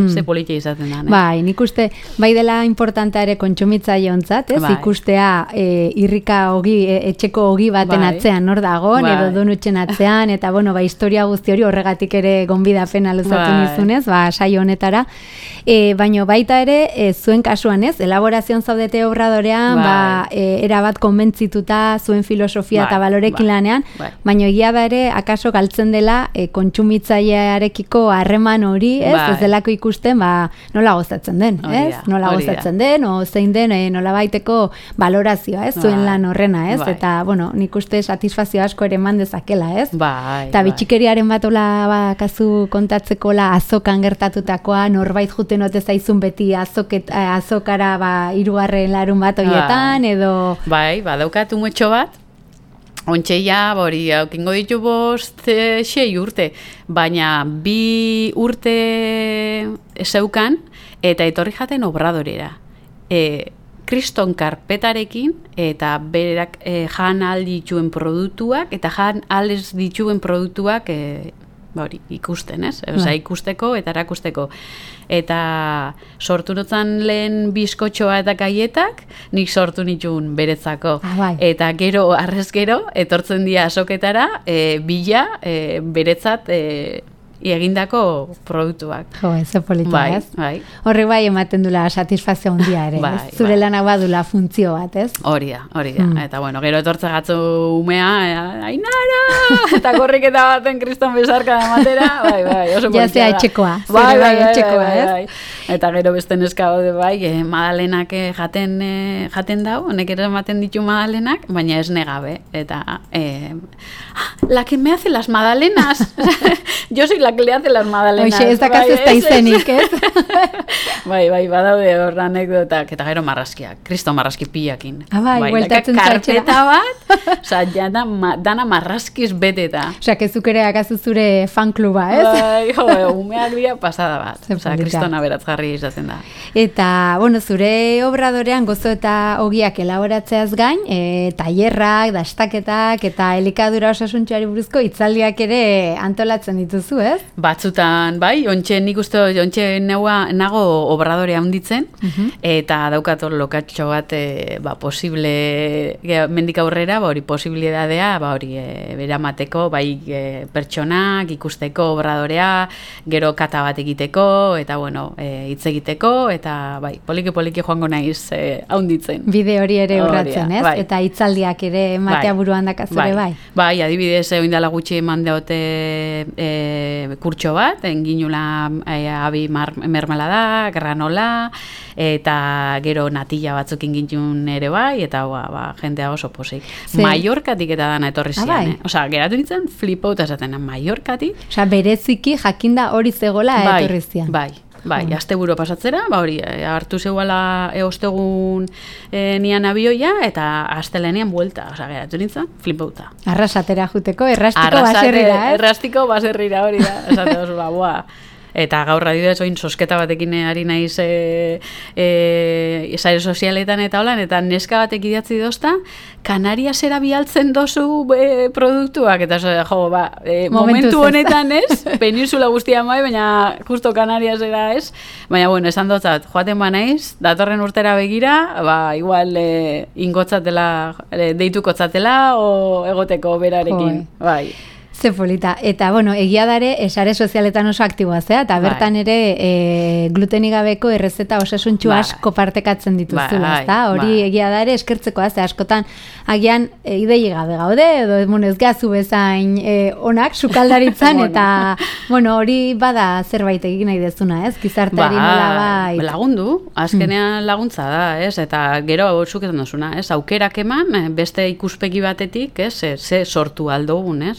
ze politia izaten da. Nik uste, bai dela importantea ere kontsumitzaile ontzat, ez? Ikustea irrika etxeko ogi baten atzean nor dagoen, edo donutxen atzean, eta historia guzti hori horregatik ere gonbidapena luzatu nizunez, saio honetara. Baina baita ere, zuen kasuan ez, elaborazioan zaudete obradorean, erabat konbentzituta zuen filosofia eta balorekin lanean, baina egia da ere, akaso galtzen dela kontsumitzailearekiko harreman hori, ez delako ikusten, nola gozatzen den, ez? Nola gozatzen den, o zein den nola baiteko balorazioa, ez? Zuen lan horrena, ez? Eta, nik uste satisfazio asko ere eman dezakela, ez? Eta bitxikeriaren bat hola kasu kontatzeko azokan gertatutakoa, norbait juten ote zaizun beti azokara 3. larun bat horietan, edo... Daukat umetxo bat, ontseia, aukingo ditu 5-6 urte, baina 2 urte zeukan, eta etorri jaten obradorera. Kriston karpetarekin, eta berak jan aldituen produktuak, eta jan aldez dituen produktuak ikusten, ez? Ikusteko eta erakusteko. Eta sortu notzan lehen bizkotxoa eta gaietak, nik sortu nituen beretzako. Eta gero, arrez gero, etortzen dira azoketara, bila beretzat egindako produktuak. Ez polita, ez? Horrek ematen dula satisfazio handia ere, ez? Zure lanak badula funtzio bat, ez? Hori da. Eta, gero etortze gatzu umea, Ainara! Eta korriketa baten kriston besarka ematera, oso polita da. Jazea etxekoa, zure etxekoa, ez? Eta gero beste neska hode madalenak jaten dau, honek ere ematen ditu madalenak, baina ez negabe. Eta, la que me hace las madalenas. Yo soy la que le hace las magdalenas. Oixe, ez dakaz ez da izenik, ez? Badaude hor anekdotak, eta gero marrazkiak, kristo marrazki pilakin. Bueltatzen zaitxera. Karpeta bat, dana marrazkiz beteta. Kezuk ere akazu zure fankluba, ez? Umeak dira pasada bat. Kristona beratzgarri izaten da. Eta, zure obradorean gozo eta ogiak elaboratzeaz gain, tailerrak, dastaketak, eta elikadura osasuntxoari buruzko hitzaldiak ere antolatzen dituzu, ez? Batzutan, nik uste, nago obradorea handitzen, eta daukator lokatxo bat, posible, mendik aurrera, posibilidadea, beramateko, pertsonak, ikusteko obradorea, gero kata bat egiteko, eta, hitz egiteko, eta, poliki joango naiz handitzen. Bide hori ere urratzen, ez? Eta hitzaldiak ere matea buruan dakazure, bai? Adibidez, oindala gutxi eman deote kurtxo bat, enginula abi mermelada, granola, eta gero natilla batzuk ingintun ere bai, eta jendea oso posik. Mallorkatik eta dana etorri zian, geratu nintzen flipauta esaten, Mallorkatik. Bereziki jakinda hori zegoela etorri zian. Asteburu pasatzera, hartu zeuala ostegun nian abioia, eta astelenean buelta, geratu nintzen, flipauta. Arrasatera juteko, errastiko baserrira, ez? Errastiko baserrira hori da, esate oso, Eta gaur adibidez oin sosketa batekin ari naiz sare sozialetan eta holan, eta neska batek idatzi dozta, Kanariasera bialtzen dozu produktuak, eta momentu honetan ez, peninsula guztia mai, baina justo Kanariasera ez, baina bueno, esan dotzat, joaten ba naiz, datorren urtera begira, igual ingotzatela, deitukotzatela, o egoteko berarekin, bai. Ze polita. Eta, bueno, egia dare, sare sozialetan oso aktiboa zea, eta bertan ere glutenik gabeko errezeta osasuntxu asko partekatzen dituzula, ezta? Hori egia dare eskertzekoa, ze askotan agian idei gabe gaude, edo ez gazu bezain onak sukaldaritzan, eta, bueno, hori bada zerbait egin nahi dezuna, ez? Gizarteari nola bai. Lagundu, azkenean laguntza da, ez? Eta gero zuketan duzuna, ez? Aukerak eman, beste ikuspegi batetik, ez? Ze sortu aldogun, ez?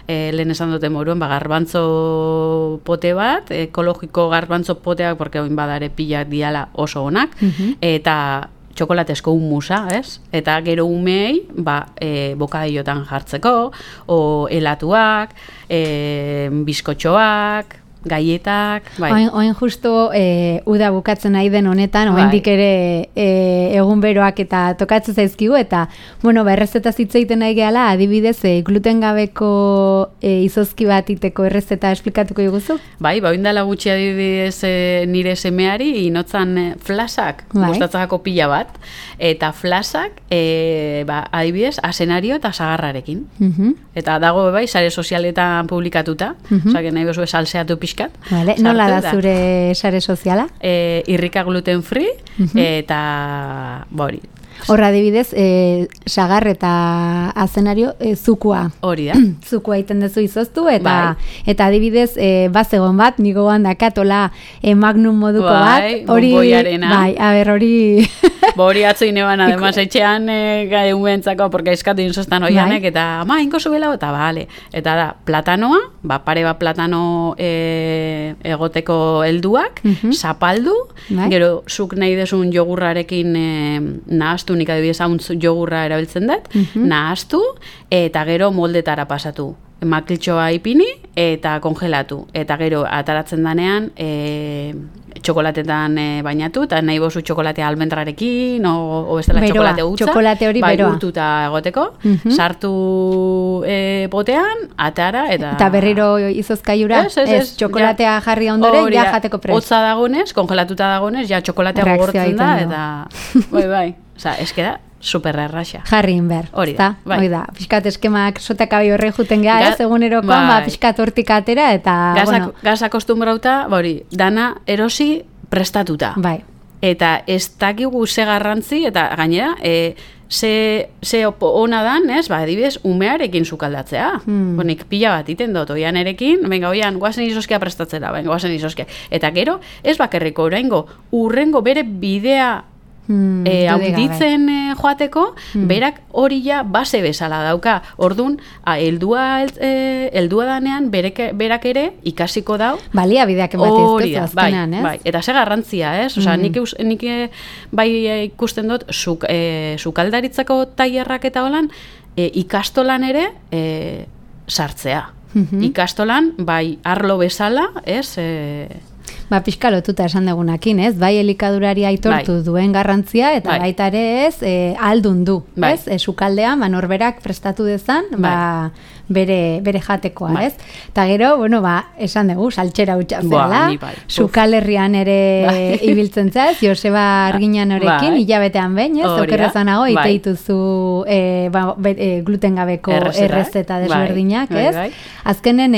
Lehen esan dute moruan, garbantzo pote bat, ekologiko garbantzo poteak, porque oin badare pilak diala oso onak, eta txokolatesko humusa, ez? Eta gero umei, bokadillotan jartzeko, o helatuak, bizkotxoak, gaietak, bai. Oin justo uda bukatzen nahi den honetan, oendik ere egun beroak eta tokatzen zaizkigu, eta, bueno, errezeta zitzeiten nahi gehala, adibidez, gluten gabeko izozki bat iteko errezeta esplikatuko diguzu? Bai, oindala gutxi adibidez nire semeari, inotzan flasak, gustatzako pila bat, eta flasak, adibidez, asenario eta sagarrarekin. Eta dago, bai, sare sozialetan publikatuta, osake nahi bezu salseatu pixkat. Vale. Nola da zure sare soziala? Irrika gluten free, eta hori. Horra adibidez, sagar eta azenario zukua. Hori da. Zukua iten dezu izoztu, eta adibidez, bazegon bat, nigo handakatola magnum moduko bat. Bomboiarena. Bai, a ber, hori... Hori atzo ineban, además, etxean umentzako, porque eskatu insostan oianek, eta inko zubela, eta bale. Eta da, platanoa, pare bat platano egoteko helduak, zapaldu, gero zuk nahi desun jogurrarekin nahaztu, nik adibidez hauntz jogurra erabiltzen dut, nahaztu, eta gero moldetara pasatu. Makiltxoa ipini eta kongelatu. Eta gero ataratzen danean txokolatetan bainatu, eta nahi bozu txokolatea almendrarekin, o bestela txokolate gutza. Txokolate hori beroa. Bai, urtuta egoteko. Sartu potean, atara, eta berriro izozkaiura, txokolatea jarri ondoren, ja jateko prest. Hotza dagonez, kongelatuta dagonez, ja txokolatea gogortzen da, eta... Bai, oza, eskeda, super erraxa. Jarri inber, ezta? Bai. Da, pixkat eskemak sotakabi horre juten gara, ez egunerokoan, pixkat hortik atera, eta, Gaz akostumbrauta, dana erosi prestatuta. Bai. Eta ez dakigu ze garrantzi, eta gainera, ze ona dan, ez, adibidez, umearekin sukaldatzea. Nik pila bat iten dut, oian erekin, venga, oian, guazen izoskia prestatzera, venga, guazen izoskia. Eta gero, ez bakerriko oraingo, urrengo bere bidea auditzen joateko, berak hori ja base bezala dauka. Ordun, heldua danean berak ere ikasiko dau. Baliabideak ematizte azkenan, ez? Bai, eta ze garrantzia, ez? Osa, nik bai ikusten dut sukaldaritzako tailerrak eta holan ikastolan ere sartzea. Ikastolan, bai, arlo bezala, ez? Pixka lotuta esan dugunakin, ez? Bai elikadurari aitortu duen garrantzia, eta baita ere ez, aldun du, ez? Sukaldean, norberak prestatu dezan, bere jatekoa, ez? Eta gero, bueno, esan dugu, saltxera hutsa zela, sukalerrian ere ibiltzen zaz, Joseba Arginan horekin, hilabetean behin, ez? Okerrezanago, iteituzu gluten gabeko errezeta desberdinak, ez? Azkenen,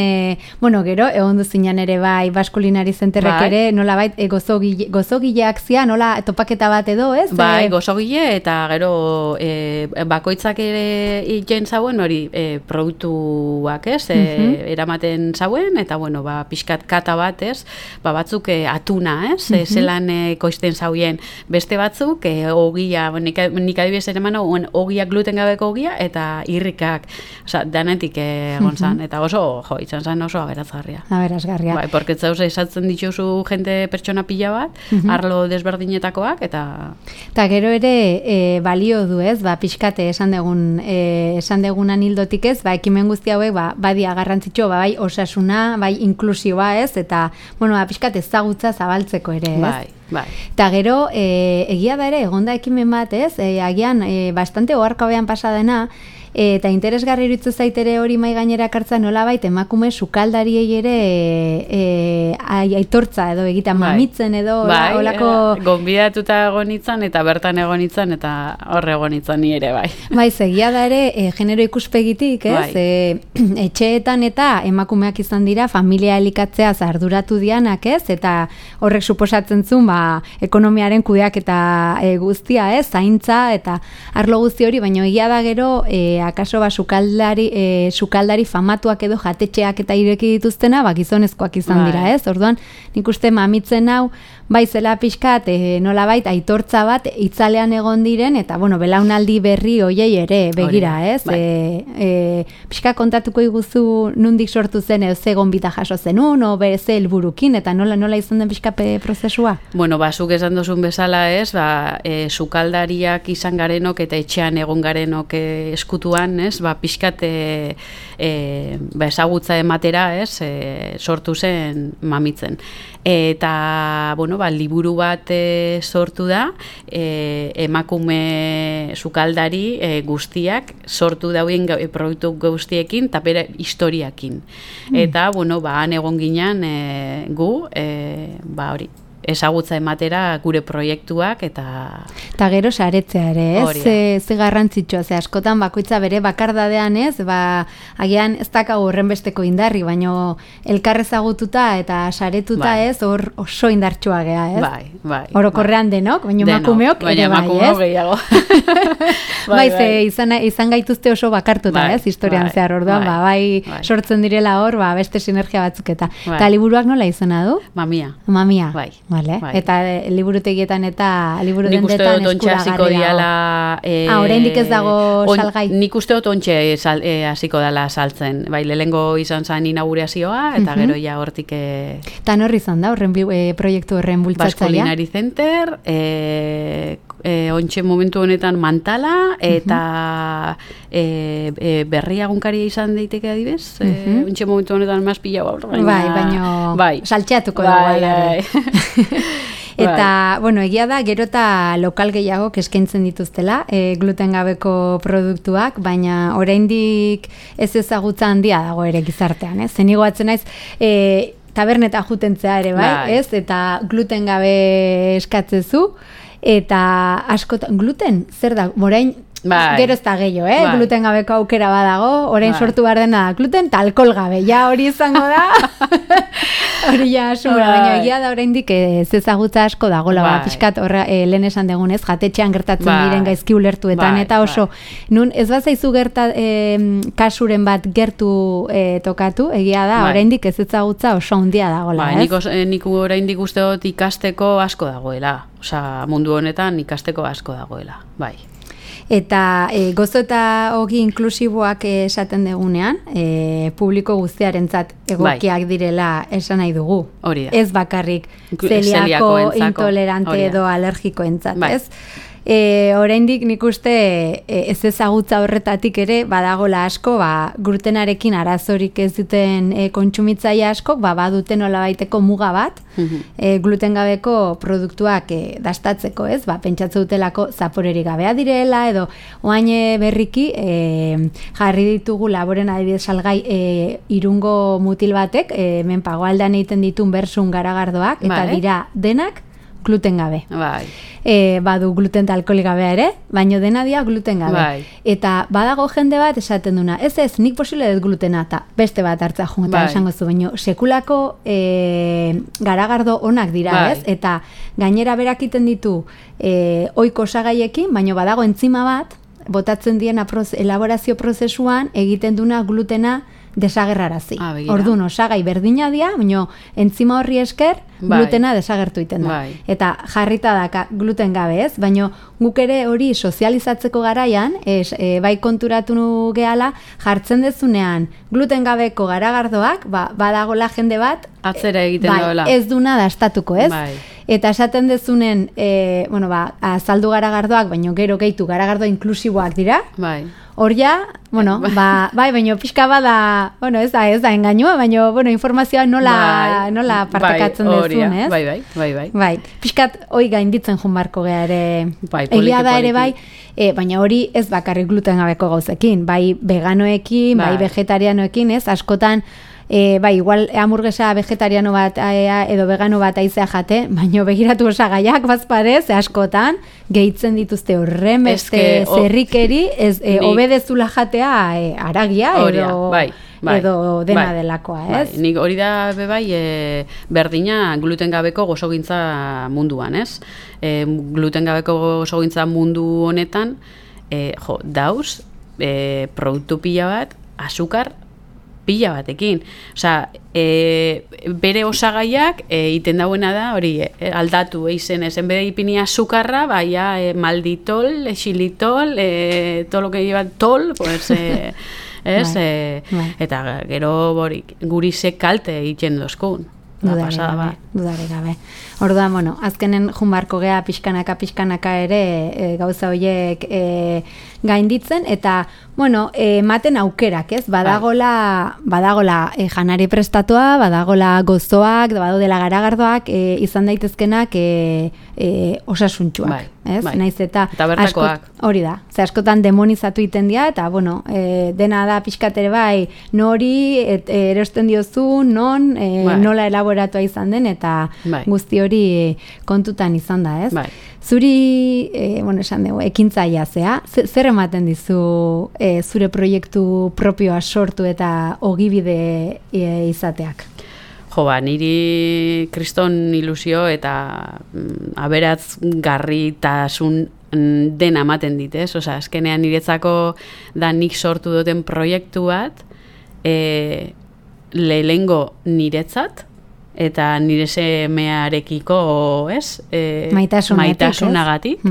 bueno, gero, egon duzinan ere bai, Baskulinari Zenterrek ere, nola bait, gozogileak zia, nola topaketa bat edo, ez? Bai, gozogile, eta gero bakoitzak ere iten zauen, hori produktuak, ez? Eramaten zauen, eta bueno, pixkat kata bat, ez? Batzuk atuna, ez? Zelan koizten zauen beste batzuk, ogia, nik adibidez ere mano, ogia gluten gabeko ogia, eta irrikak, oza, danetik egon zan, eta oso, izan zan oso aberazgarria. Aberazgarria. Bai, porque zauze esatzen dituzu jente pertsona pila bat, arlo desberdinetakoak, eta... Eta gero ere balio du, ez? Pixkate esan degunan hildotik ez, ekimen ekimen guzti hauek badia garrantzitsu, bai osasuna, bai inklusioa, ez? Eta, pixkat ezagutza zabaltzeko ere, ez? Bai. Eta gero, egia da ere, egonda ekimen bat, ez? Agian, bastante oharkabean pasadena, eta interesgarri iruditzen zaitere hori mai gainera kartza nolabait emakume sukaldariei ere aitortza edo egiten mamitzen edo holako gonbidatuta egon itzan eta bertan egon itzan eta hor egon itzan ni ere bai. Bai, egia da ere genero ikuspegitik, ez? Etxeetan eta emakumeak izan dira familia elikatzea arduratu dianak, ez? Eta horrek suposatzen zuen ekonomiaren kudeaketa guztia, ez? Zaintza eta arlo guzti hori, baina egia da gero akaso sukaldari famatuak edo jatetxeak eta ireki dituztena, gizonezkoak izan dira, ez? Orduan, nik uste mamitzen hau, bai zela pixkat, nolabait aitortza bat itzalean egon diren, eta, belaunaldi berri hoiei ere begira, ez? Pixka kontatuko iguzu nundik sortu zen, ze gonbita jaso zenun, o ze helburukin, eta nola izan den pixka prozesua? Zuk esan dozun bezala, ez? Sukaldariak izan garenok eta etxean egon garenok eskutuan, ez? Pixkat ezagutza ematera, ez? Sortu zen mamitzen. Eta, liburu bat sortu da, emakume sukaldari guztiak sortu dauen produktu guztiekin eta bere historiakin. Eta, han egon ginen gu, hori, ezagutza ematera gure proiektuak eta gero saretzea ere, ez? Ze garrantzitsua, askotan bakoitza bere bakardadean, ez? Agian ez dakago horren besteko indarri, baino elkar ezagututa eta saretuta, ez? Hor oso indartsua gea, ez? Bai. Orokorrean denok, baino emakumeok ere bai, ez? Izan gaituzte oso bakartuta, ez? Historian zehar, orduan, bai sortzen direla hor, beste sinergia batzuk eta liburuak nola izena du? Mamia. Bai. Vale. Eta liburutegietan eta liburu dendetan eskuragarri dago. Oraindik ez dago salgai. Nik uste dut ontxe hasiko dela saltzen. Bai, lehengo izan zen inaugurazioa eta gero ja hortik Eta norri izan da horren proiektu horren bultzatzailea? Baskulinari Center, ontxe momentu honetan Mantala eta berriagunkaria izan daiteke adibez. Ontxe momentu honetan mazpila gaur. Baina saltxeatuko dago. Eta, egia da, gero eta lokal gehiago eskaintzen dituztela, gluten gabeko produktuak, baina oraindik ez ezagutza handia dago ere gizartean, ez? Zen igoatzen naiz, taberneta jutentzea ere, bai, ez? Eta gluten gabe eskatzezu, eta askotan, gluten, zer da, orain, gero ez da gehiago, gluten gabeko aukera badago, orain sortu behar dena gluten eta alkohol gabe, ja hori izango da, hori ja asumera, baina egia da oraindik ez ezagutza asko dagoela, pixkat lehen esan degunez, jatetxean gertatzen diren gaizki ulertuetan, eta oso, nun ez bazaizu kasuren bat gertu tokatu, egia da, oraindik ez ezagutza oso handia dagoela, ez? Nik oraindik uste dut ikasteko asko dagoela, mundu honetan ikasteko asko dagoela, bai. Eta gozo eta ogi inklusiboak esaten degunean, publiko guztiarentzat egokiak direla esan nahi dugu. Hori da. Ez bakarrik zeliako, intolerante edo alergikoentzat, ez? Oraindik nik uste ez ezagutza horretatik ere badagola asko, glutenarekin arazorik ez duten kontsumitzaile asko, baduten nolabaiteko muga bat, gluten gabeko produktuak dastatzeko, ez? Pentsatze dutelako zaporerik gabea direla, edo oain berriki jarri ditugu laboren adibidez salgai Irungo mutil batek, menpagoaldean egiten ditun bersun garagardoak, eta dira denak gluten gabe. Badu gluten eta alkoholik gabea ere, baino dena dia gluten gabe. Eta badago jende bat esaten duna, ez, nik posible dut glutena, eta beste bat hartza joan, eta esango zu, baino sekulako garagardo onak dira, ez? Eta gainera berakiten ditu ohiko osagaiekin, baino badago entzima bat, botatzen dien elaborazio prozesuan egiten duna glutena desagerrarazi. Orduan, osagai berdina dia, baina entzima horri esker glutena desagertu iten da. Eta jarrita da gluten gabe, ez? Baina guk ere hori sozializatzeko garaian, bai konturatu gehala, jartzen dezunean gluten gabeko garagardoak, badagola jende bat, atzera egiten dola. Ez duna dastatuko, ez? Eta esaten dezunen, azaldu garagardoak, baina gero gehitu garagardo inklusiboak dira, hor ja, bueno, bai, baina pixka bada, bueno, ez da engainua, baina, bueno, informazioa nola partekatzen duzun, ez? Bai. Pixkat hoi gainditzen joan barko gea ere, egia da ere bai, baina hori ez bakarrik gluten gabeko gauzekin, bai veganoekin, bai vegetarianoekin, ez? Askotan, bai, igual hamburguesa vegetariano bat edo vegano bat aizea jate, baina begiratu osagaiak bazparez, askotan gehitzen dituzte horren beste zerrikeri, obedezula jatea aragia edo dena delakoa, ez? Nik hori da berdina gluten gabeko gozogintza munduan, ez? Gluten gabeko gozogintza mundu honetan, dauz, produktu pila bat, azukar pila batekin. Osea, bere osagaiak iten dauena da, hori, aldatu eizen, ezen bere ipini azukarra, baina malditol, xilitol, todo lo que lleva tol, pues, ez? Eta gero guri ze kalte egiten dozkun. Dudare gabe. Orduan, bueno, azkenen junbarko gea pixkanaka ere gauza horiek gainditzen, eta, bueno, ematen aukerak, ez? Badagola janari prestatua, badagola gozoak, badaudela garagardoak, izan daitezkenak osasuntxuak, ez? Naiz eta bertakoak. Hori da, ze askotan demonizatu iten dira, eta, bueno, dena da pixkatere bai, nori erosten diozu, nola elaboratua izan den, eta guzti hori kontutan izan da, ez? Zuri, bueno, esan dugu, ekintzaia zea, zer ematen dizu zure proiektu propioa sortu eta ogibide izateak? Niri kriston ilusio eta aberatzgarritasun dena ematen dit, ez? Osa, azkenean niretzako da nik sortu duten proiektu bat, lehengo niretzat, eta nire semearekiko, ez? Maitasunagatik.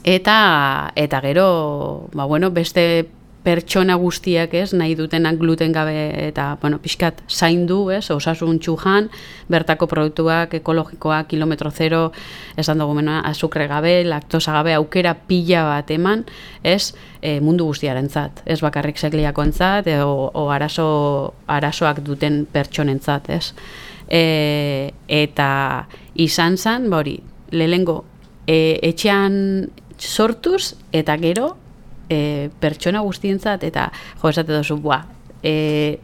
Eta gero, beste pertsona guztiak, ez, nahi dutenak gluten gabe eta, pixkat zaindu, ez, osasuntsu jan, bertako produktuak, ekologikoak, kilometro zero, esan dugu azukre gabe, laktosa gabe, aukera pila bat eman, ez, mundu guztiarentzat, ez bakarrik sekliakoentzat, o arazoak duten pertsonentzat, ez. Eta izan zen, lehengo, etxean sortuz, eta gero, pertsona guztientzat, eta esate dozu,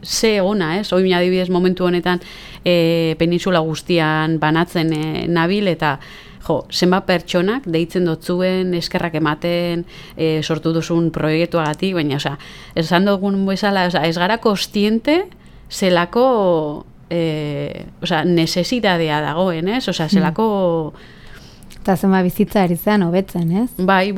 ze ona, ez? Oin adibidez momentu honetan peninsula guztian banatzen nabil, eta zenbat pertsonak deitzen dotzuen, eskerrak ematen, sortu duzun proiektuagatik, baina, esan dugun bezala, ez gara kostiente zelako nesesitatea dagoen, ez? Zelako eta zenba bizitza ari zen, hobetzen, ez? Bai,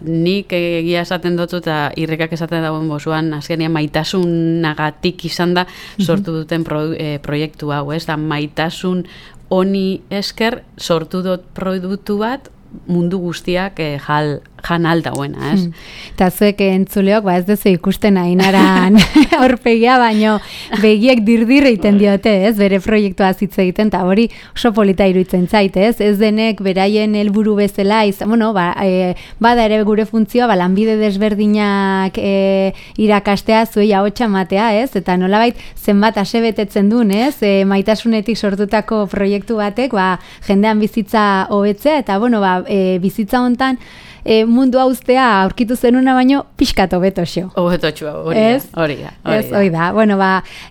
nik egia esaten dut eta irrikak esaten dagoen bozuan, azkenean maitasunagatik izan da sortu duten proiektu hau, ez? Da maitasun honi esker sortu dut produktu bat mundu guztiak jan aldauena, ez? Eta zuek entzuleok, ez duzu ikusten Ainaran aurpegia, baino begiek dirdirre iten diote, ez? Bere proiektua hitz egiten, eta hori oso polita iruditzen zait, ez? Ez denek beraien helburu bezala, bada ere gure funtzioa, lanbide desberdinak irakastea, zuei ahotsa ematea, ez? Eta nolabait zenbat asebetetzen duen, ez? Maitasunetik sortutako proiektu batek, jendean bizitza hobetzea, eta bizitza hontan mundua uztea aurkitu zenuna baino pixkat hobetxo. Hobetxo, hori da.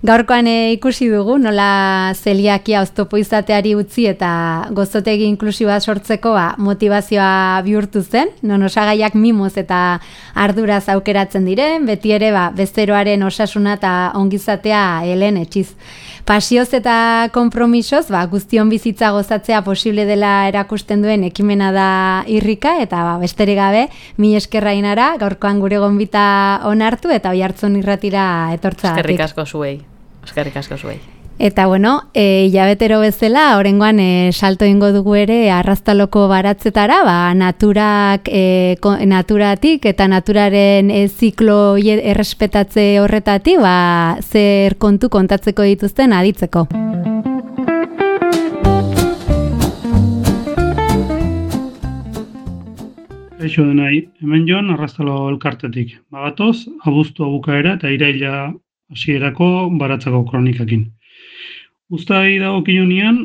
Gaurkoan ikusi dugu, nola zeliakia oztopo izateari utzi eta gozotegi inklusiboa sortzeko motivazioa bihurtu zen, non osagaiak mimoz eta arduraz aukeratzen diren, beti ere bezeroaren osasuna eta ongizatea helen etxiz. Pasioz eta konpromisoz, guztion bizitza gozatzea posible dela erakusten duen ekimena da irrika, eta besterik gabe, mila eskerra Ainara, gaurkoan gure gonbita onartu, eta Oiartzun irratira etortza. Eskerrik asko zuei. Eta hilabetero bezala, orengoan salto ingo dugu ere Arraztaloko baratzetara, naturatik eta naturaren ziklo errespetatze horretatik, zer kontu kontatzeko dituzten aditzeko. Kaixo denai, hemen Jon Arrastalo elkartetik. Bagatoz, abuztua bukaera eta iraila hasierako baratzako kronikakin. Uztai dagokionean,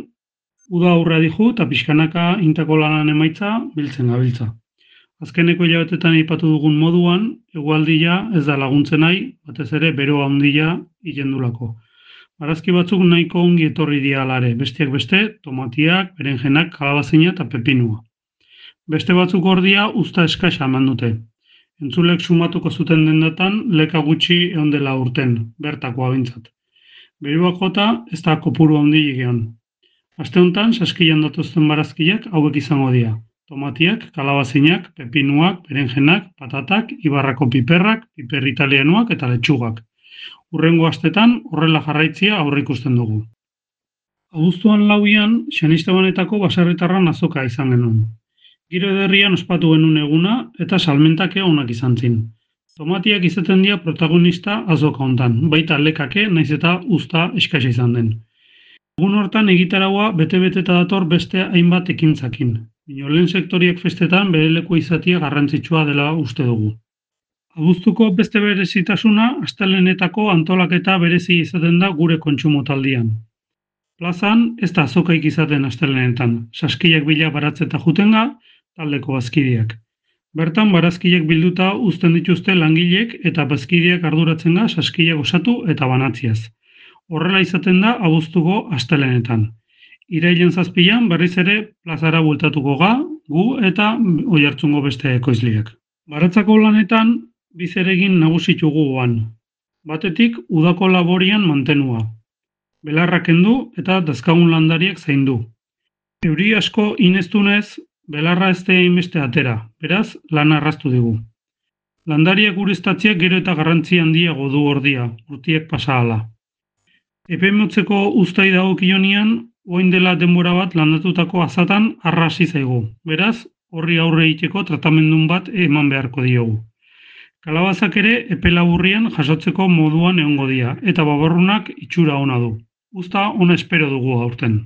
uda aurra dihu eta pixkanaka intako lanan emaitza biltzen gabiltza. Azkeneko hilabetetan aipatu dugun moduan, hegoaldia ez da laguntzen nahi, batez ere beroa handia hilendulako. Barazki batzuk nahiko ongi etorri dira alare, besteak beste, tomatiak, berenjenak, kalabazina eta pepinua. Beste batzuk ordia usta eskasa eman dute. Entzulek sumatuko zuten dendatan leka gutxi egon dela urten, bertakoa bintzat. Beruak jota ez da kopuru handi egon. Aste honetan, saskilan datuzten barazkiak hauek izango dira. Tomatiak, kalabazinak, pepinuak, berenjenak, patatak, ibarrako piperrak, piper italianuak eta letxugak. Hurrengo astetan horrela jarraitzia aurreikusten dugu. Abuztuan 4an, Xanistebanetako baserritarran azoka izan genuen. Giro ederrian ospatu genuen eguna eta salmentak onak izan zin. Tomatiak izaten dira protagonista azoka hontan, baita lekake naiz eta uzta eskasa izan den. Egun hortan egitaraua bete-beteta dator beste hainbat ekintzakin. Lehen sektoriek festetan bere leku izatia garrantzitsua dela uste dugu. Abuztuko beste berezitasuna astelehenetako antolaketa berezi izaten da gure kontsumotaldian. Plazan ez da azokaik izaten astelehenetan, saskiak bila baratzeta jutenga, taldeko bazkideak. Bertan barazkiak bilduta uzten dituzte langilek eta bazkideak arduratzen ga saskiak osatu eta banatziaz. Horrela izaten da abuztuko astelehenetan. Irailen 7an berriz ere plazara bueltatuko ga, gu eta Oiartzungo beste ekoizleak. Baratzako lanetan bizeregin nagusitugu goan. Batetik udako laborian mantenua. Belarrak kendu eta dazkagun landariak zaindu. Euri asko ineztunez, belarra ez da inbeste atera, beraz lan arraztu digu. Landariak ureztatziak gero eta garrantzi handiago du ordia, urtiek pasa hala. Epe motzeko uztai dagokionean, orain dela denbora bat landatutako azatan arrasi zaigu. Beraz, horri aurre egiteko tratamendun bat eman beharko diogu. Kalabazak ere epe laburrian jasotzeko moduan egongo dira, eta babarrunak itxura ona du. Uzta ona espero dugu aurten.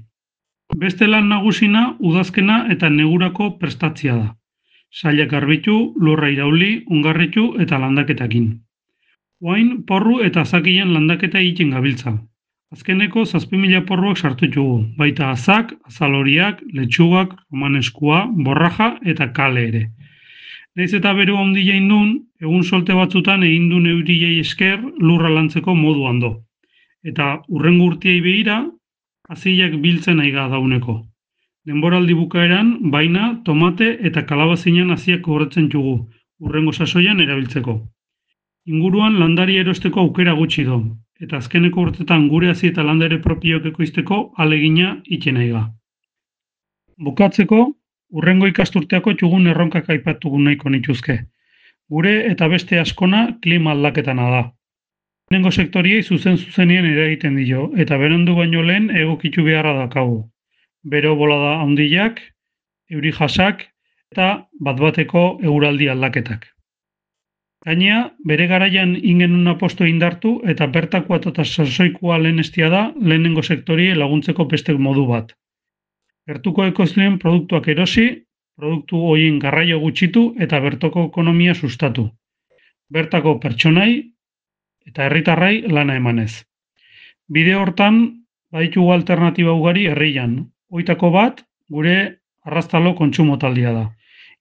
Beste lan nagusina udazkena eta negurako prestatzia da. Sailak garbitu, lurra irauli, ongarritu eta landaketakin. Orain porru eta azakien landaketa egiten gabiltza. Azkeneko 7.000 porruak sartu ditugu, baita azak, azaloriak, letxugak, romaneskua, borraja eta kale ere. Naiz eta beru handia indun, egun solte batzutan egin du neuriei esker lurra lantzeko modu hando. Eta hurrengo urtiei behira, azilak biltzen aiga dauneko. Denboraldi bukaeran, baina, tomate eta kalabazinan aziak horretzen dugu, hurrengo sasoian erabiltzeko. Inguruan landari erosteko aukera gutxi do, eta azkeneko urtetan gure hazi eta landare propioak ekoizteko alegina itxen aiga. Bukatzeko, hurrengo ikasturteako txugun erronkak aipatugu nahiko nituzke. Gure eta beste askona klima aldaketana da. Lehenengo sektoriei zuzenien eragiten dio, eta berandu baino lehen egokitu beharra dakagu. Bero bolada handiak, euri jasak eta bat-bateko eguraldi aldaketak. Gainea, bere garaian ingenun aposto indartu eta bertakoa eta sasoikoa lehenestia da lehenengo sektorie laguntzeko beste modu bat. Gertuko ekoizleen produktuak erosi, produktu horien garraio gutxitu eta bertoko ekonomia sustatu. Bertako pertsonai eta herritarrai lana emanez. Bide hortan, baditugu alternatiba ugari herrian. Hoitako bat, gure Arrastalo kontsumotaldia da.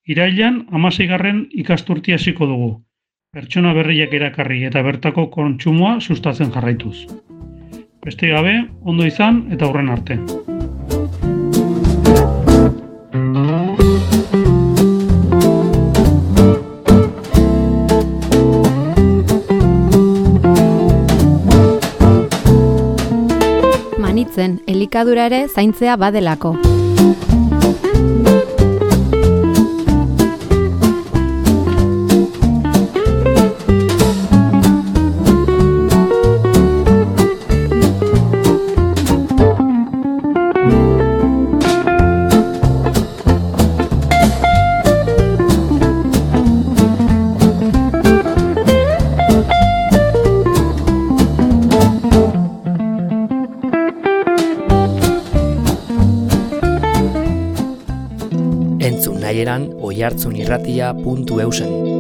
Irailean, 16. ikasturtia hasiko dugu. Pertsona berriak erakarri eta bertako kontsumoa sustatzen jarraituz. Beste gabe, ondo izan eta hurren arte. Manitzen, elikadura ere zaintzea badelako. Entzun nahi eran oihartzunirratia.eusen.